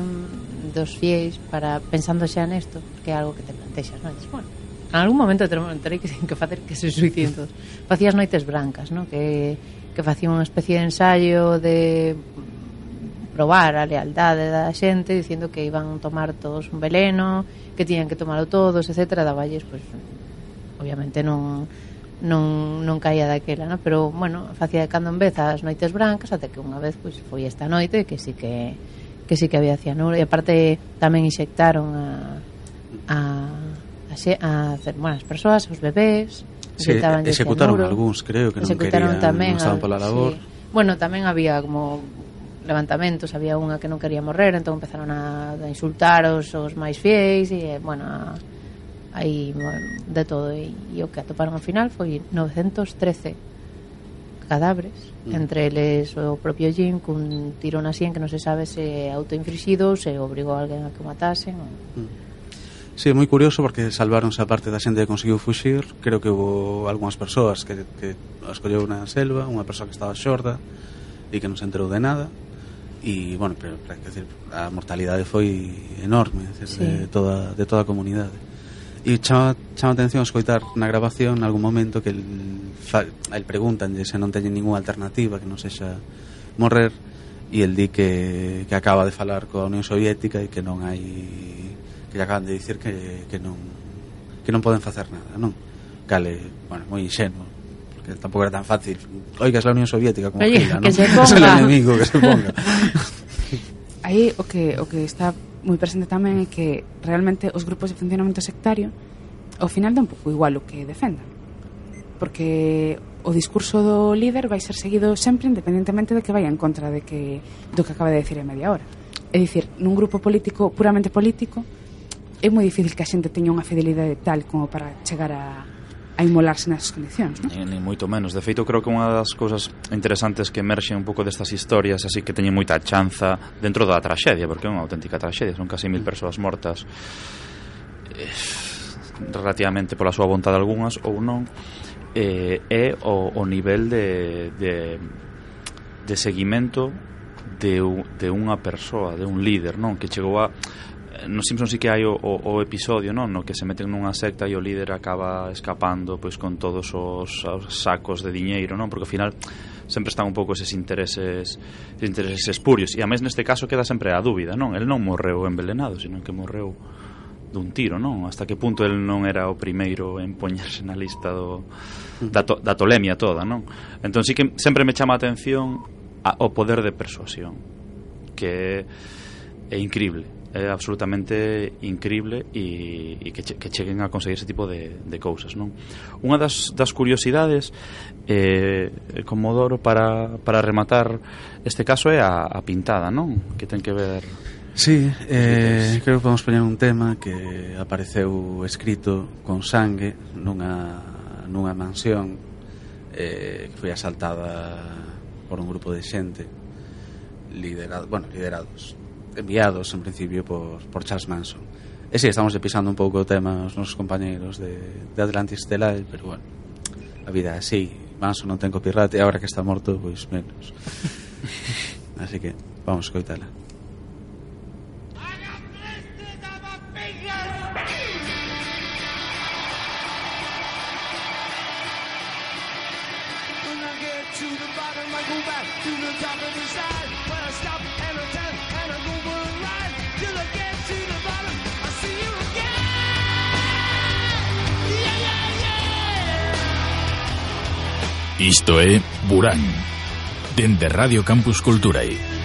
G: dos fiéis, para pensando xa nesto, que é algo que te plantexas, non? Dices, bueno, en algún momento terei que, que facer que se suiciden todos. Facías noites brancas, non? Que, que facían unha especie de ensayo de probar a lealdade da xente, dicindo que iban a tomar todos un veleno, que tiñan que tomalo todos, etcétera. Davalles, pois, obviamente non non, non caía daquela, non? Pero, bueno, facía de cando en vez as noites brancas, até que unha vez, pois, foi esta noite que sí que que sí que había cianuro, e aparte tamén inxectaron a a a, xe, a hacer, bueno, as persoas, os bebés,
F: Sí,
G: inyectabanlle
F: executaron
G: cianuro.
F: algúns, creo que non
G: Executaron
F: querían,
G: tamén
F: non estaban
G: al-
F: pola labor.
G: sí. Bueno, tamén había como levantamentos, había unha que non quería morrer, entón empezaron a, a insultar os, os máis fiéis e, bueno, a, aí de todo, e, e o que atoparon ao final foi novecientos trece cadáveres,
F: Mm.
G: entre eles o propio Jim cun tiro na sien que non se sabe se autoinflixido ou se obrigou a alguén a que o matasen ou...
F: Sí, é moi curioso porque salvaronse a parte da xente que conseguiu fuxir. Creo que houve algunhas persoas que, que as colleu na selva, unha persoa que estaba xorda e que non se enterou de nada. E, bueno, pero, pero quer dizer, a mortalidade foi enorme, decir,
G: Sí.
F: de, toda, de toda a comunidade. E chama, chama atención escoitar na grabación en algún momento que el, fa, el preguntanlle se non teñen ninguna alternativa que non sexa morrer, e el di que, que acaba de falar coa Unión Soviética e que non hai, que lle acaban de dicir que, que non que non poden facer nada, non? Cale, bueno, moi inxenuo, porque tampouco era tan fácil. Oiga, es la Unión Soviética como
G: Oye,
F: Gila,
G: que
F: ¿no?
G: se ponga.
F: Es el enemigo, que se ponga.
E: Aí o que o que está moi presente tamén é que realmente os grupos de funcionamento sectario ao final dá un pouco igual o que defendan, porque o discurso do líder vai ser seguido sempre independentemente de que vaya en contra de que do que acaba de decir en media hora. É dicir, nun grupo político puramente político é moi difícil que a xente teña unha fidelidade tal como para chegar a a inmolarse nesas condicións, non?
D: Ni, ni moito menos. De feito, creo que unha das cousas interesantes que emerxen un pouco destas historias, así que teñen moita chanza dentro da traxedia, porque é unha auténtica traxedia, son casi mil persoas mortas, eh, relativamente pola súa vontade algunhas ou non, eh, é o, o nivel de, de, de seguimento de, de unha persoa, de un líder, non? Que chegou a... Nos Simpsons sí que hai o, o, o episodio, non? No que se meten nunha secta e o líder acaba escapando pois con todos os, os sacos de diñeiro, non? Porque ao final sempre están un pouco eses intereses eses intereses espurios, e a mes neste caso queda sempre a dúbida, non? El non morreu envelenado, sino que morreu dun tiro, non? Hasta que punto el non era o primeiro en poñerse na lista do, da, to, da tolemia toda, non? Entón sí que sempre me chama a atención a, o poder de persuasión, que é, é increíble, é absolutamente increíble, e, e que, che, que cheguen a conseguir ese tipo de, de cousas, non? Unha das, das curiosidades, eh, Comodoro, para, para rematar este caso, é a, a pintada, non? Que ten que ver...
F: Sí, eh, creo que podemos poñer un tema que apareceu escrito con sangue nunha, nunha mansión eh, que foi asaltada por un grupo de xente liderado, bueno, liderados enviados en principio por, por Charles Manson. E si, sí, estamos pisando un pouco o tema os nosos compañeros de, de Atlantis Stellar, pero bueno, a vida é así. Manson non ten copyright e agora que está morto, pois menos. Así que vamos a escoitala.
A: Isto é Burán, dende Radio Campus Culturae.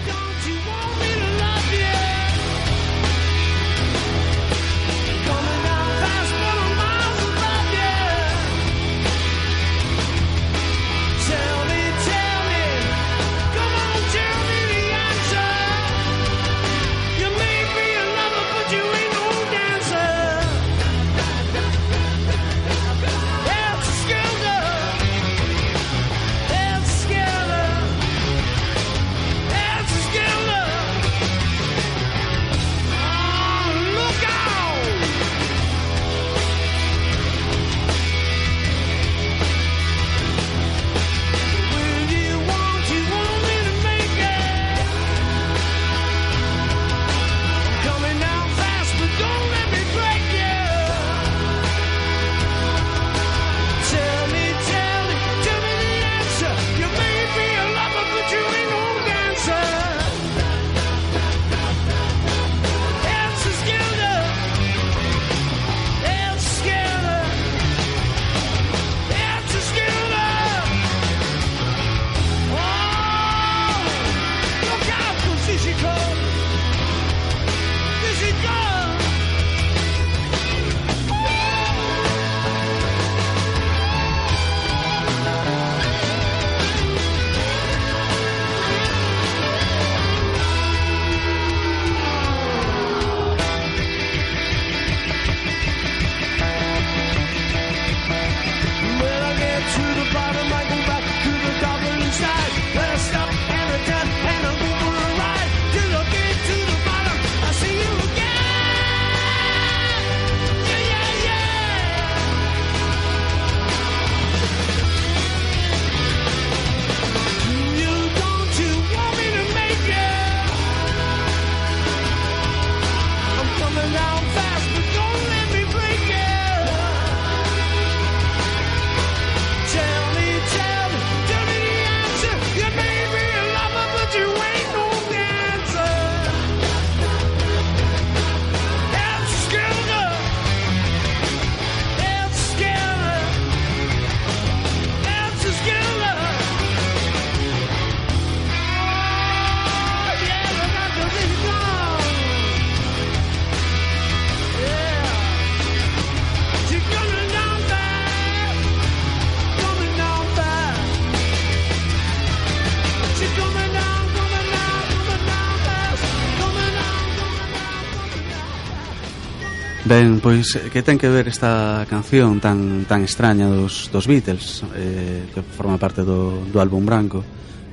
F: Ben, pois, que ten que ver esta canción tan tan extraña dos, dos Beatles, eh, que forma parte do, do álbum branco,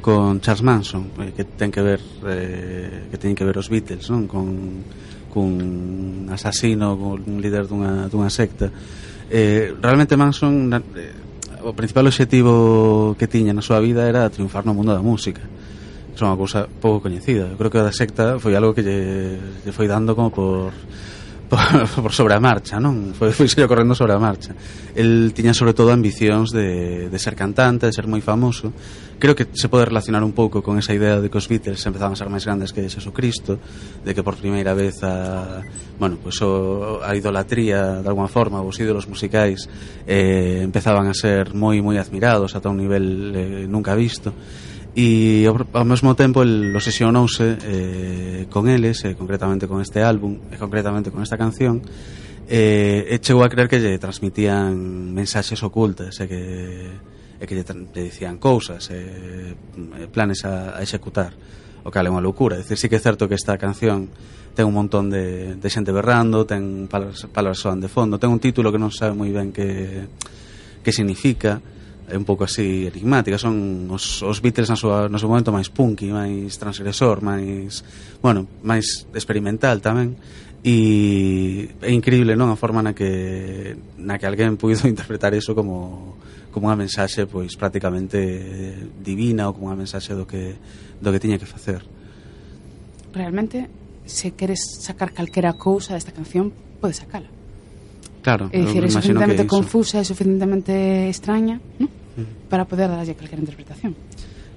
F: con Charles Manson, eh, que ten que ver eh, que ten que ver os Beatles, non? Con, cun asasino, con un líder dunha, dunha secta. Eh, realmente Manson, eh, o principal obxectivo que tiña na súa vida era triunfar no mundo da música. É unha cousa pouco coñecida. Eu creo que a da secta foi algo que lle, lle foi dando como por por, por sobre a marcha, non? Foi, foi xe correndo sobre a marcha. El tiña sobre todo ambicións de, de ser cantante, de ser moi famoso. Creo que se pode relacionar un pouco con esa idea de que os Beatles empezaban a ser máis grandes que Jesucristo, de que por primeira vez a, bueno, pues o, a idolatría de alguma forma, os ídolos musicais eh, empezaban a ser moi moi admirados ata un nivel eh, nunca visto. E ao, ao mesmo tempo el obsesionouse eh, con eles, eh, concretamente con este álbum e concretamente con esta canción, eh, e chegou a creer que lle transmitían mensaxes ocultas e que, e que lle, lle dicían cousas e eh, planes a, a executar, o que é unha loucura. É dicir, sí que é certo que esta canción ten un montón de, de xente berrando, ten palabras, palabras soan de fondo, ten un título que non sabe moi ben que, que significa, é un pouco así enigmática. Son os, os Beatles na súa, no seu momento máis punky, máis transgresor, máis, bueno, máis experimental tamén, e é increíble, non, a forma na que na que alguén puido interpretar iso como como unha mensaxe pois prácticamente divina, ou como unha mensaxe do que do que tiña que facer.
E: Realmente, se queres sacar calquera cousa desta canción, podes sacala.
F: Claro,
E: é dicir, é
F: imagino
E: suficientemente
F: que iso.
E: confusa, é suficientemente extraña, ¿no? Mm. Para poder darlle calquera interpretación.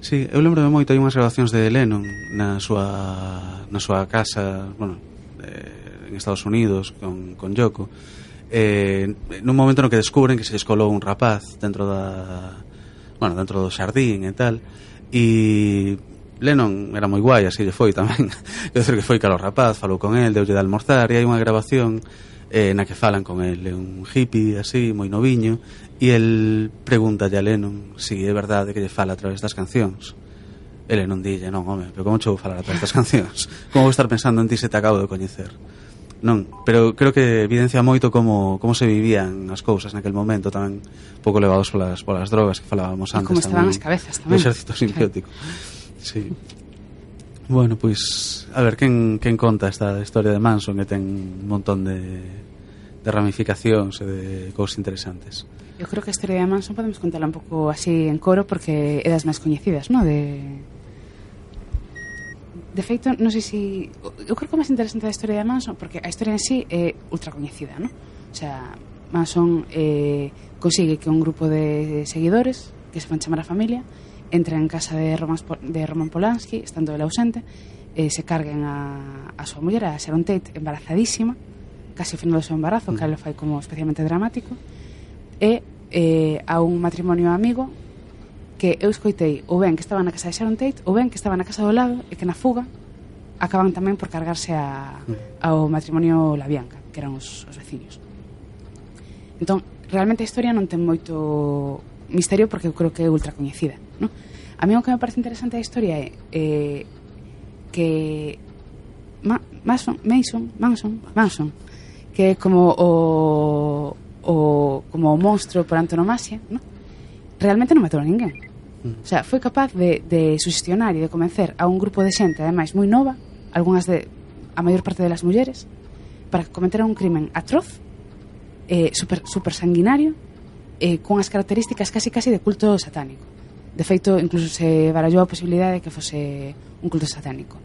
F: Sí, eu lembro moito, hai unhas grabacións de Lennon na súa na súa casa, bueno, eh, en Estados Unidos con, con Yoko, eh, nun momento no que descubren que se descolou un rapaz dentro da, bueno, dentro do xardín e tal, e Lennon era moi guai, así lle foi tamén. Quero dizer que foi calo rapaz, falou con el, deulle de almorzar, e hai unha grabación eh, na que falan con el, é un hippie así, moi noviño, e el pregunta a Lennon si é verdade que lle fala a través das cancións. E Lennon dille, non, home, pero como che vou falar a través das cancións? Como vou estar pensando en ti se te acabo de coñecer? Non, pero creo que evidencia moito como, como se vivían as cousas naquel momento, tamén un pouco levados polas, polas drogas que falábamos antes.
E: E como estaban
F: tamén,
E: as cabezas tamén.
F: O exército simbiótico. Sí. Bueno, pois, pues, a ver, quen, quen conta esta historia de Manson, que ten un montón de, de ramificacións e de cousas interesantes.
E: Eu creo que a historia de Manson podemos contarla un pouco así en coro, porque é das máis coñecidas, ¿no? De... De feito, non sei se... Eu creo que o máis interesante da historia de Manson, porque a historia en sí é ultra coñecida, ¿no? O sea, Manson eh, consigue que un grupo de seguidores, que se van chamar a familia, entra en casa de Roman, de Roman Polanski, estando ele ausente, eh, se carguen a, a súa muller, a Sharon Tate, embarazadísima, casi ao final do seu embarazo, mm. que lo fai como especialmente dramático, e eh, a un matrimonio amigo que eu escoitei ou ben que estaba na casa de Sharon Tate ou ben que estaba na casa do lado, e que na fuga acaban tamén por cargarse a, ao matrimonio La Bianca, que eran os, os veciños. Entón, realmente a historia non ten moito misterio, porque eu creo que é ultra coñecida, ¿no? A mí o que me parece interesante da historia é eh, que Ma Mason, Mason, Manson, Manson, que é como o, o como o monstro por antonomasia, ¿no? Realmente non matou a ninguén. O sea, foi capaz de, de sugestionar e de convencer a un grupo de xente, ademais moi nova, algunhas de a maior parte das mulleres, para que cometera un crimen atroz, eh, super, super sanguinario, eh, con as características casi casi de culto satánico. De feito, incluso se barallou a posibilidade de que fose un culto satánico.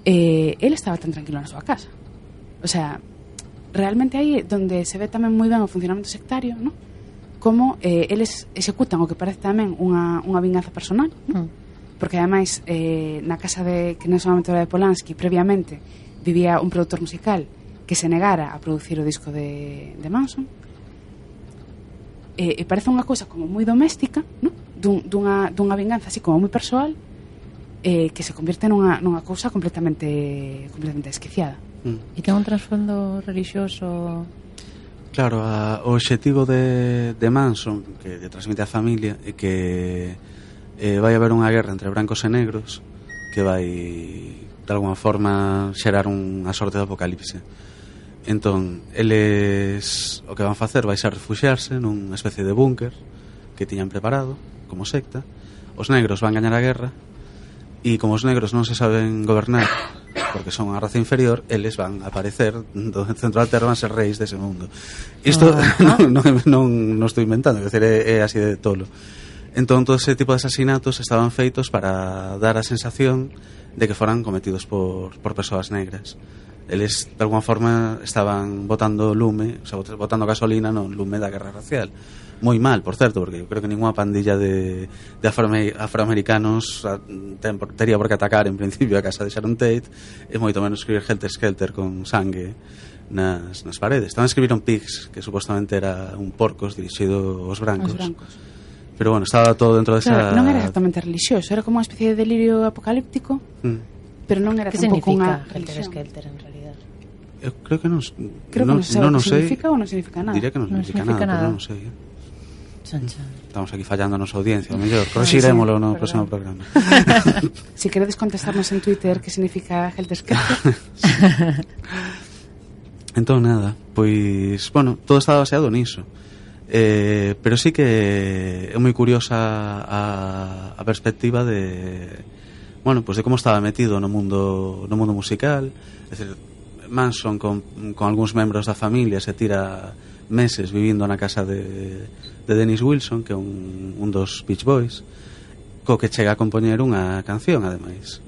E: Eh, ele estaba tan tranquilo na súa casa. O sea, realmente aí é donde se ve tamén moi ben o funcionamento sectario, ¿no? Como eh, eles executan o que parece tamén unha, unha vinganza personal, ¿no? Mm. Porque ademais eh, na casa de, que non solamente era de Polanski, previamente vivía un productor musical que se negara a producir o disco de, de Manson. E, e parece unha cousa como moi doméstica, ¿no? Dun, dunha, dunha vinganza así como moi persoal, eh, que se convierte nunha, nunha cousa completamente completamente desquiciada.
G: Mm. E ten un trasfondo religioso.
F: Claro, a, o obxectivo de, de Manson, que lle transmite a familia, é que eh, vai haber unha guerra entre brancos e negros que vai de alguma forma xerar unha sorte de apocalipse. Entón, eles o que van facer vai ser refuxiarse nunha especie de búnker que tiñan preparado como secta. Os negros van gañar a guerra, e como os negros non se saben gobernar porque son a raza inferior, eles van a aparecer do centro da terra, van ser reis dese mundo. Isto uh-huh. non, non, non, non estou inventando, é, decir, é, é así de tolo. Entón, todo ese tipo de asesinatos estaban feitos para dar a sensación de que foran cometidos por, por persoas negras. eles de alguma forma estaban botando lume, o sea, botando gasolina no lume da guerra racial. Moi mal, por certo, porque eu creo que ninguna pandilla de, de afroamer, afroamericanos ten, teria por que atacar en principio a casa de Sharon Tate, e moito menos escribir Helter Skelter con sangue nas, nas paredes. Tamén escribiron Pigs, que supostamente era un porcos dirixido aos brancos.
E: Os brancos.
F: Pero bueno, estaba todo dentro desa...
E: Claro, non era exactamente religioso, era como unha especie de delirio apocalíptico, mm. pero non era
G: que
E: tampouco unha
G: Helter
E: religión.
G: Skelter en realidad?
F: Eu creo que non...
E: Creo
F: non,
E: que non se sabe
F: non,
E: o
F: non
E: que
F: sei,
E: significa ou non significa nada.
F: Diría que non,
G: Non
F: significa,
G: significa
F: nada,
G: nada.
F: pero non sei. Eh.
G: Chan, chan.
F: Estamos aquí fallando a nosa audiencia, o mellor. Corrixirémolo no
G: Perdón.
F: próximo programa.
E: Si queredes contestarnos en Twitter que significa Helter Skelter.
F: Entón, nada, pois, bueno, todo está baseado niso. Eh, pero sí que é moi curiosa a, a perspectiva de, bueno, pues de como estaba metido no mundo no mundo musical. É dicir, Manson con, con algúns membros da familia se tira meses vivindo na casa de, de Dennis Wilson, que é un, un dos Beach Boys, co que chega a compoñer unha canción, ademais.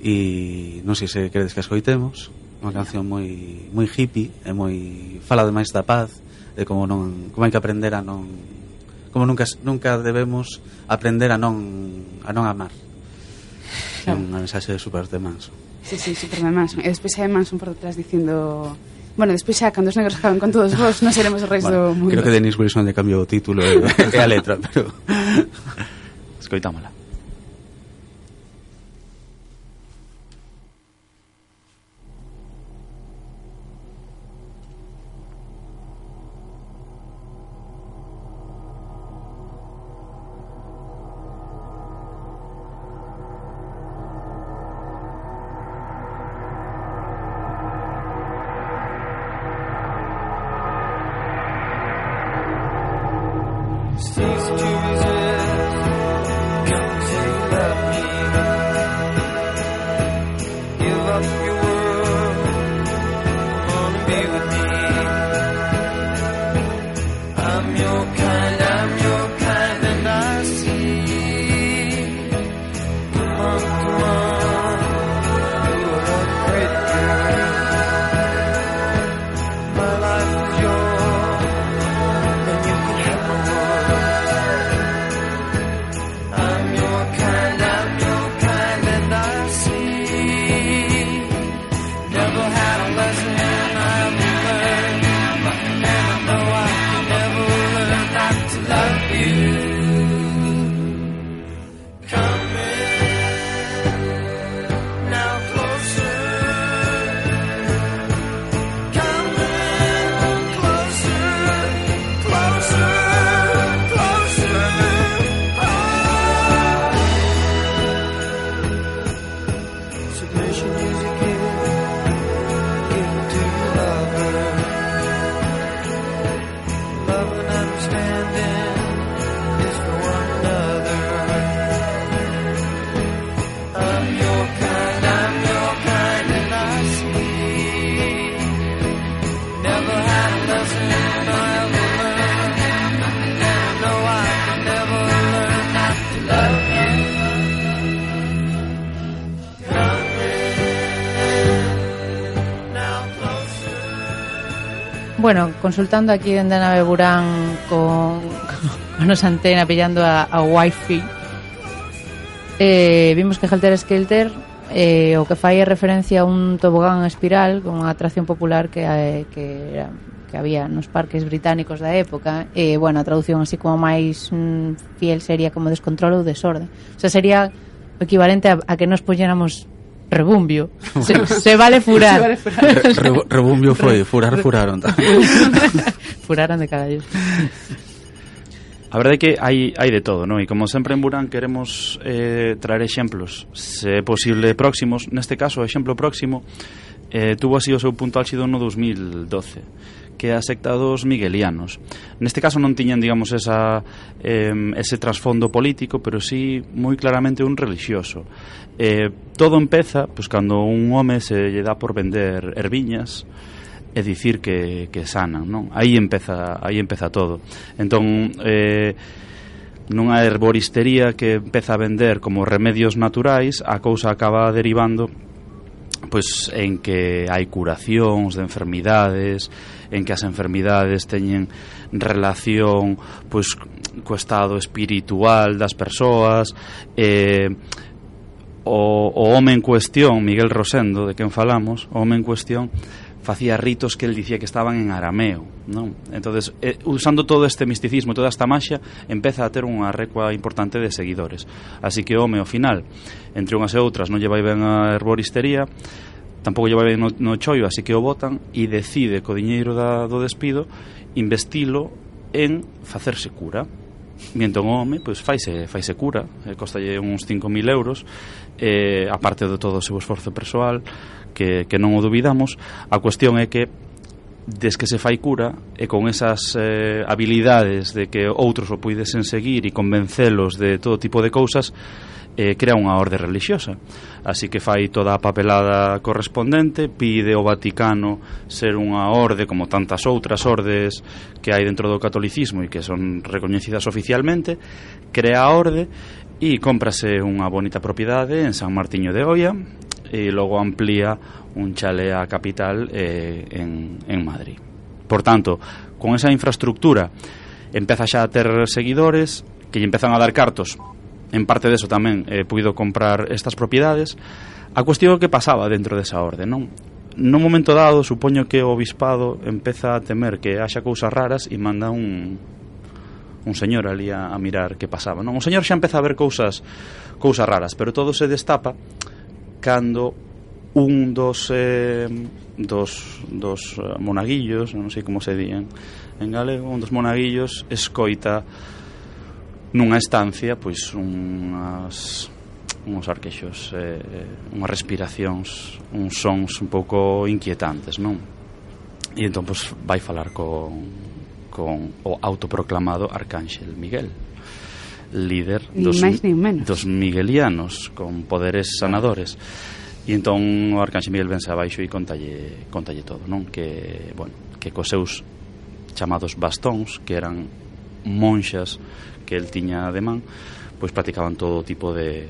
F: E non sei se queredes que escoitemos, unha canción moi moi hippie e moi fala ademais da paz, de como non como hai que aprender a non como nunca nunca debemos aprender a non a non amar. É unha mensaxe de super de Manson.
E: Sí, sí, super de Manson. E despois hai Manson por detrás dicindo, bueno, despois xa cando os negros acaben con todos vos, non seremos os reis
F: Bueno,
E: do mundo.
F: creo que Dennis Wilson le cambiou o título e, e a letra, pero
D: Escoitámola.
G: Bueno, consultando aquí dende a nave Burán con, con nosa antena pillando a, a Wi-Fi, eh, vimos que Helter Skelter eh, o que fai é referencia a un tobogán espiral con unha atracción popular que, eh, que, era, que había nos parques británicos da época. E, eh, bueno, a traducción así como máis mm, fiel sería como descontrol ou desorde. O sea, sería o equivalente a, a que nos poñéramos rebumbio. Se, se vale furar. Se vale furar.
F: Re, rebumbio foi, furar furaron tamén.
G: Furaron de carallo.
D: A verdade é que hai, hai de todo, non? E como sempre en Burán queremos eh, traer exemplos, se é posible próximos. Neste caso, o exemplo próximo eh, tuvo así o seu punto álxido no dos mil doce, que é a secta dos miguelianos. Neste caso non tiñan, digamos, esa, eh, ese trasfondo político, pero sí moi claramente un religioso. Eh, todo empeza pois, cando un home se lle dá por vender erviñas e dicir que, que sanan, non? Aí empeza, aí empeza todo. Entón, eh, nunha herboristería que empeza a vender como remedios naturais, a cousa acaba derivando pois en que hai curacións de enfermidades, en que as enfermidades teñen relación pois co estado espiritual das persoas. eh, o, o home en cuestión, Miguel Rosendo, de quen falamos, o home en cuestión facía ritos que el dicía que estaban en arameo, non? Entonces, eh, usando todo este misticismo, toda esta maxia, empeza a ter unha recua importante de seguidores. Así que o home, ao final, entre unhas e outras, non lle vai ben a herboristería, tampouco lle vai ben no, no chollo, así que o botan e decide co diñeiro da, do despido investilo en facerse cura. Mientón o home, pois faise, faise cura, eh, costalle uns cinco mil euros, eh, aparte de todo o seu esforzo persoal, que, que non o dubidamos. A cuestión é que des que se fai cura e con esas eh, habilidades de que outros o puidesen seguir e convencelos de todo tipo de cousas, eh, crea unha orde religiosa. Así que fai toda a papelada correspondente, pide ao Vaticano ser unha orde como tantas outras ordes que hai dentro do catolicismo e que son recoñecidas oficialmente, crea a orde e cómprase unha bonita propiedade en San Martiño de Oia e logo amplía un chalé a capital eh, en, en Madrid. Por tanto, con esa infraestructura empeza xa a ter seguidores que lle empezan a dar cartos. En parte deso tamén eh, puido comprar estas propiedades. A cuestión que pasaba dentro desa orde, non? Nun momento dado, supoño que o obispado empeza a temer que haxa cousas raras e manda un un señor ali a, a mirar que pasaba, non? O señor xa empeza a ver cousas cousas raras, pero todo se destapa cando un dos eh, dos, dos uh, monaguillos, non sei como se dían en galego, un dos monaguillos escoita nunha estancia pois unhas uns arquexos, eh, unhas respiracións, uns sons un pouco inquietantes, non? E entón pois vai falar con, con o autoproclamado Arcánxel Miguel, líder dos,
E: máis,
D: dos miguelianos con poderes sanadores. E entón o Arcánxel Miguel vense abaixo e contalle, contalle todo, non? Que, bueno, que cos seus chamados bastóns, que eran monxas que el tiña de man, pois practicaban todo tipo de,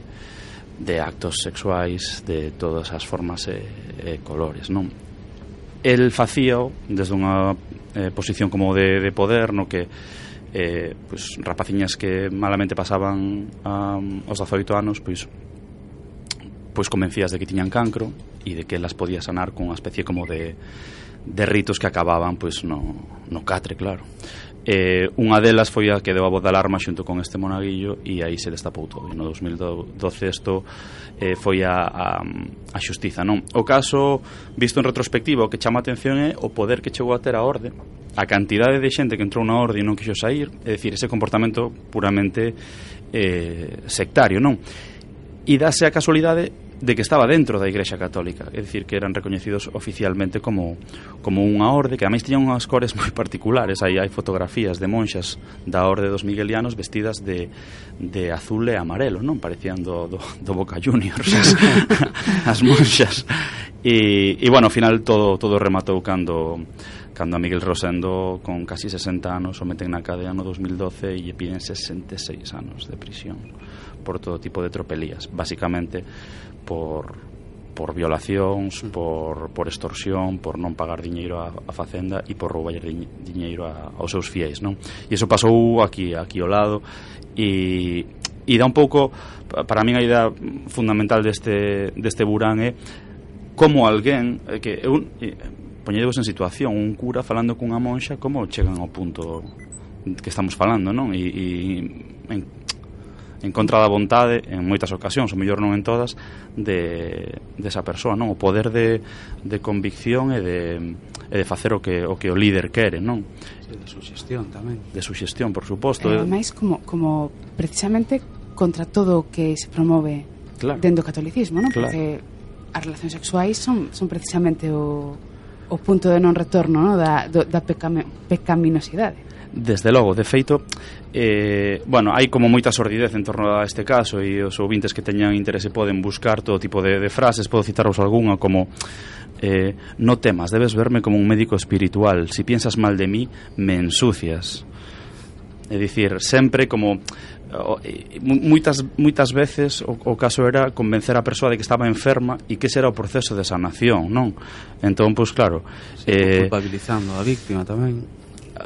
D: de actos sexuais de todas as formas e, e colores, non? El facíao desde unha eh, posición como de, de poder, no que eh, pois, rapaciñas que malamente pasaban um, os dezaoito anos, pois pois convencías de que tiñan cancro e de que las podía sanar con unha especie como de, de ritos que acababan pois no, no catre, claro. Eh, unha delas foi a que deu a voz de alarma xunto con este monaguillo e aí se destapou todo. E no dos mil doce isto eh, foi a, a, a xustiza, non? O caso, visto en retrospectiva, o que chama a atención é o poder que chegou a ter a orde, a cantidade de xente que entrou na orde e non quixo sair, é dicir, ese comportamento puramente eh, sectario, non? E dase a casualidade de que estaba dentro da Igrexa Católica, é dicir, que eran recoñecidos oficialmente como, como unha orde, que ademais tiñan unhas cores moi particulares. Aí hai fotografías de monxas da orde dos miguelianos vestidas de, de azul e amarelo, non? Parecían do, do, do Boca Juniors as, as monxas. E, e bueno, ao final todo, todo rematou cando cando a Miguel Rosendo, con casi sesenta anos, o meten na cadea no dos mil doce e lle piden sesenta e seis anos de prisión por todo tipo de tropelías, basicamente por, por violacións, por, por extorsión, por non pagar diñeiro a, a facenda e por roubar diñeiro a, aos seus fiéis, non? E iso pasou aquí, aquí ao lado e, e dá un pouco, para min a idea fundamental deste, deste Burán é como alguén que un, poñedevos en situación, un cura falando cunha monxa, como chegan ao punto que estamos falando, non? E, e en, en contra da vontade en moitas ocasións, ou mellor non en todas, de, de esa persoa, non? O poder de, de convicción e de, e de facer o que, o que o líder quere, non?
F: Sí, de suxestión tamén.
D: De suxestión, por suposto.
E: E ademais, como, como precisamente contra todo o que se promove
D: claro.
E: dentro do catolicismo, non?
D: Claro.
E: Porque as relacións sexuais son, son precisamente o, o punto de non retorno, non? Da, do, da pecame, pecaminosidade.
D: Desde logo, de feito, eh, bueno, hai como moita sordidez en torno a este caso e os ouvintes que teñan interese poden buscar todo tipo de, de frases, podo citaros algunha como eh, no temas, debes verme como un médico espiritual, si piensas mal de mí, me ensucias. É dicir, sempre como o, e, moitas, moitas veces o, o caso era convencer a persoa de que estaba enferma e que ese era o proceso de sanación, non? Entón, pois claro,
F: sí,
D: eh,
F: culpabilizando a víctima tamén.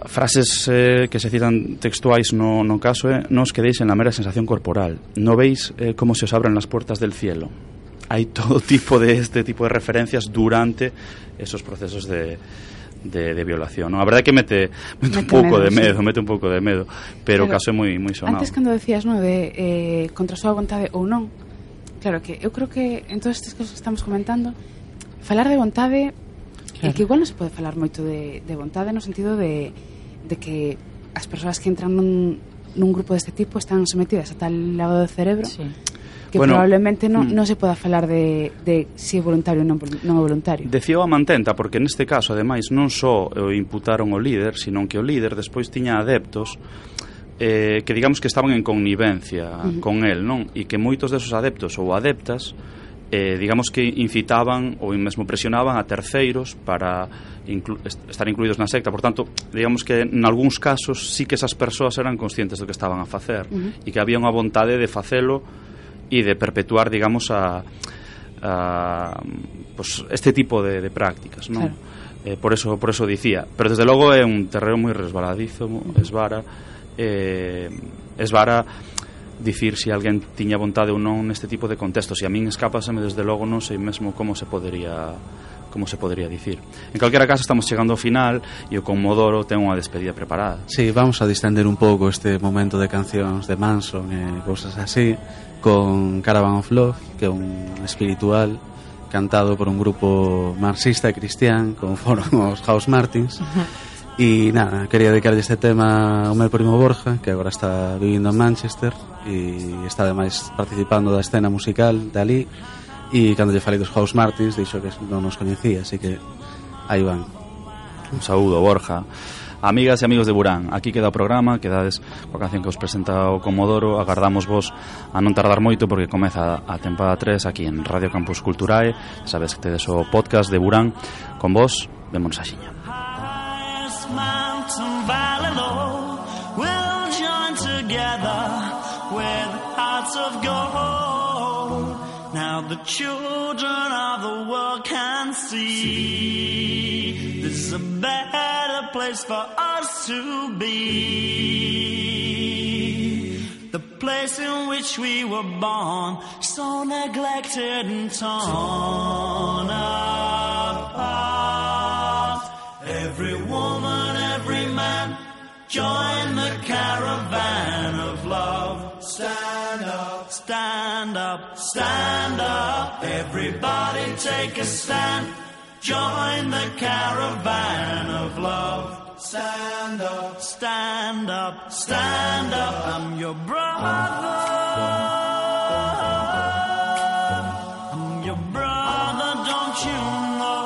D: Frases eh, que se citan textuais no, no caso é: non os quedéis en la mera sensación corporal, no veis eh, como se os abren las puertas del cielo. Hai todo tipo de este tipo de referencias durante esos procesos de De, de violación, ¿no? A verdade é que mete, mete, mete un pouco de medo, sí. mete un pouco de medo, pero, pero o caso é moi moi sonado.
E: Antes cando decías, no, de eh, contra a súa vontade ou non, claro que eu creo que en todas estas cosas que estamos comentando, falar de vontade, claro. É que igual non se pode falar moito de, de vontade no sentido de, de que as persoas que entran nun, nun grupo deste tipo están sometidas a tal lavado de cerebro, sí. Que bueno, probablemente non, non se poda falar de, de si é voluntario ou non, non é voluntario.
D: Decía a mantenta, porque neste caso, ademais, non só o imputaron o líder, sino que o líder despois tiña adeptos eh, que digamos que estaban en connivencia uh-huh. con el, non? E que moitos desos adeptos ou adeptas eh, digamos que incitaban ou mesmo presionaban a terceiros para inclu- estar incluídos na secta. Por tanto, digamos que en algúns casos sí que esas persoas eran conscientes do que estaban a facer uh-huh. e que había unha vontade de facelo e de perpetuar, digamos, a, a pues, este tipo de, de prácticas, ¿no? Claro. Eh, por eso por eso dicía, pero desde logo é un terreno moi resbaladizo, esvara eh, esvara dicir se si alguén tiña vontade ou non neste tipo de contextos, e a min escápaseme desde logo, non sei mesmo como se podería como se podría dicir. En calquera caso, estamos chegando ao final e o Comodoro ten unha despedida preparada.
F: Sí, vamos a distender un pouco este momento de cancións de Manson e cousas así con Caravan of Love, que é un espiritual cantado por un grupo marxista e cristián como foron os House Martins. E nada, quería dedicarlle este tema ao meu primo Borja, que agora está vivindo en Manchester e está ademais participando da escena musical de ali, e cando lle falei dos House Martins dixo que non nos coñecía, así que aí van.
D: Un saúdo, Borja. Amigas e amigos de Burán, aquí queda o programa, quedades coa canción que os presenta o Comodoro. Agardamos vos a non tardar moito porque comeza a tempada tres aquí en Radio Campus Culturae. Sabes que tedes o podcast de Burán con vos. Vémonos a xiña.
I: Mountain valley low, we'll join together with hearts of gold. Now the children of the world can see this is a better place for us to be. The place in which we were born, so neglected and torn apart. Every woman, every man, join the caravan of love. Stand up, stand up, stand up. Everybody take a stand. Join the caravan of love. Stand up, stand up, stand up. I'm your brother. I'm your brother, don't you know?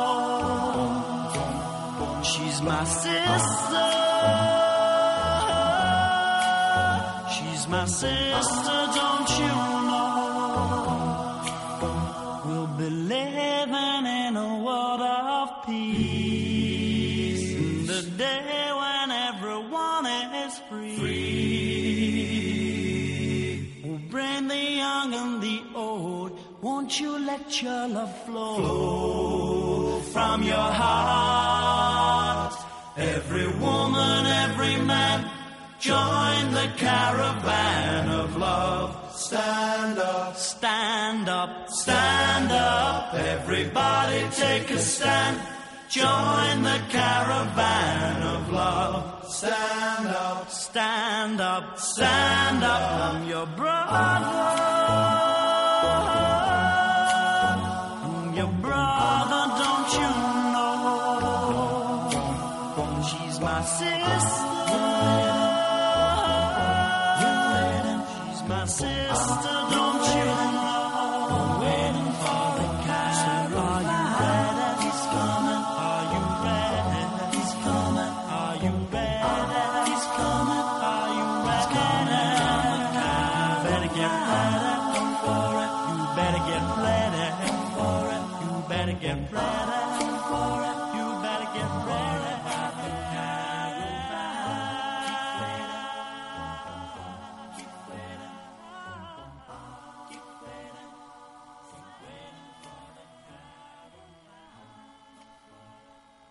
I: She's my sister. She's my sister, don't you know? We'll be living in a world of peace, in the day when everyone is free. free. We'll bring the young and the old. Won't you let your love flow, flow from your heart? Every woman, every man, join the caravan of love. Stand up, stand up, stand up. Everybody take a stand. Join the caravan of love. Stand up, stand up, stand up. I'm your brother. I'm your brother, don't you know? She's my sister. She's my sister, don't you know? Waiting for the caravan. Are you ready? He's coming. Are you ready? He's coming. Are you ready? Better get ready for it. You better get ready for it. You better get ready for it.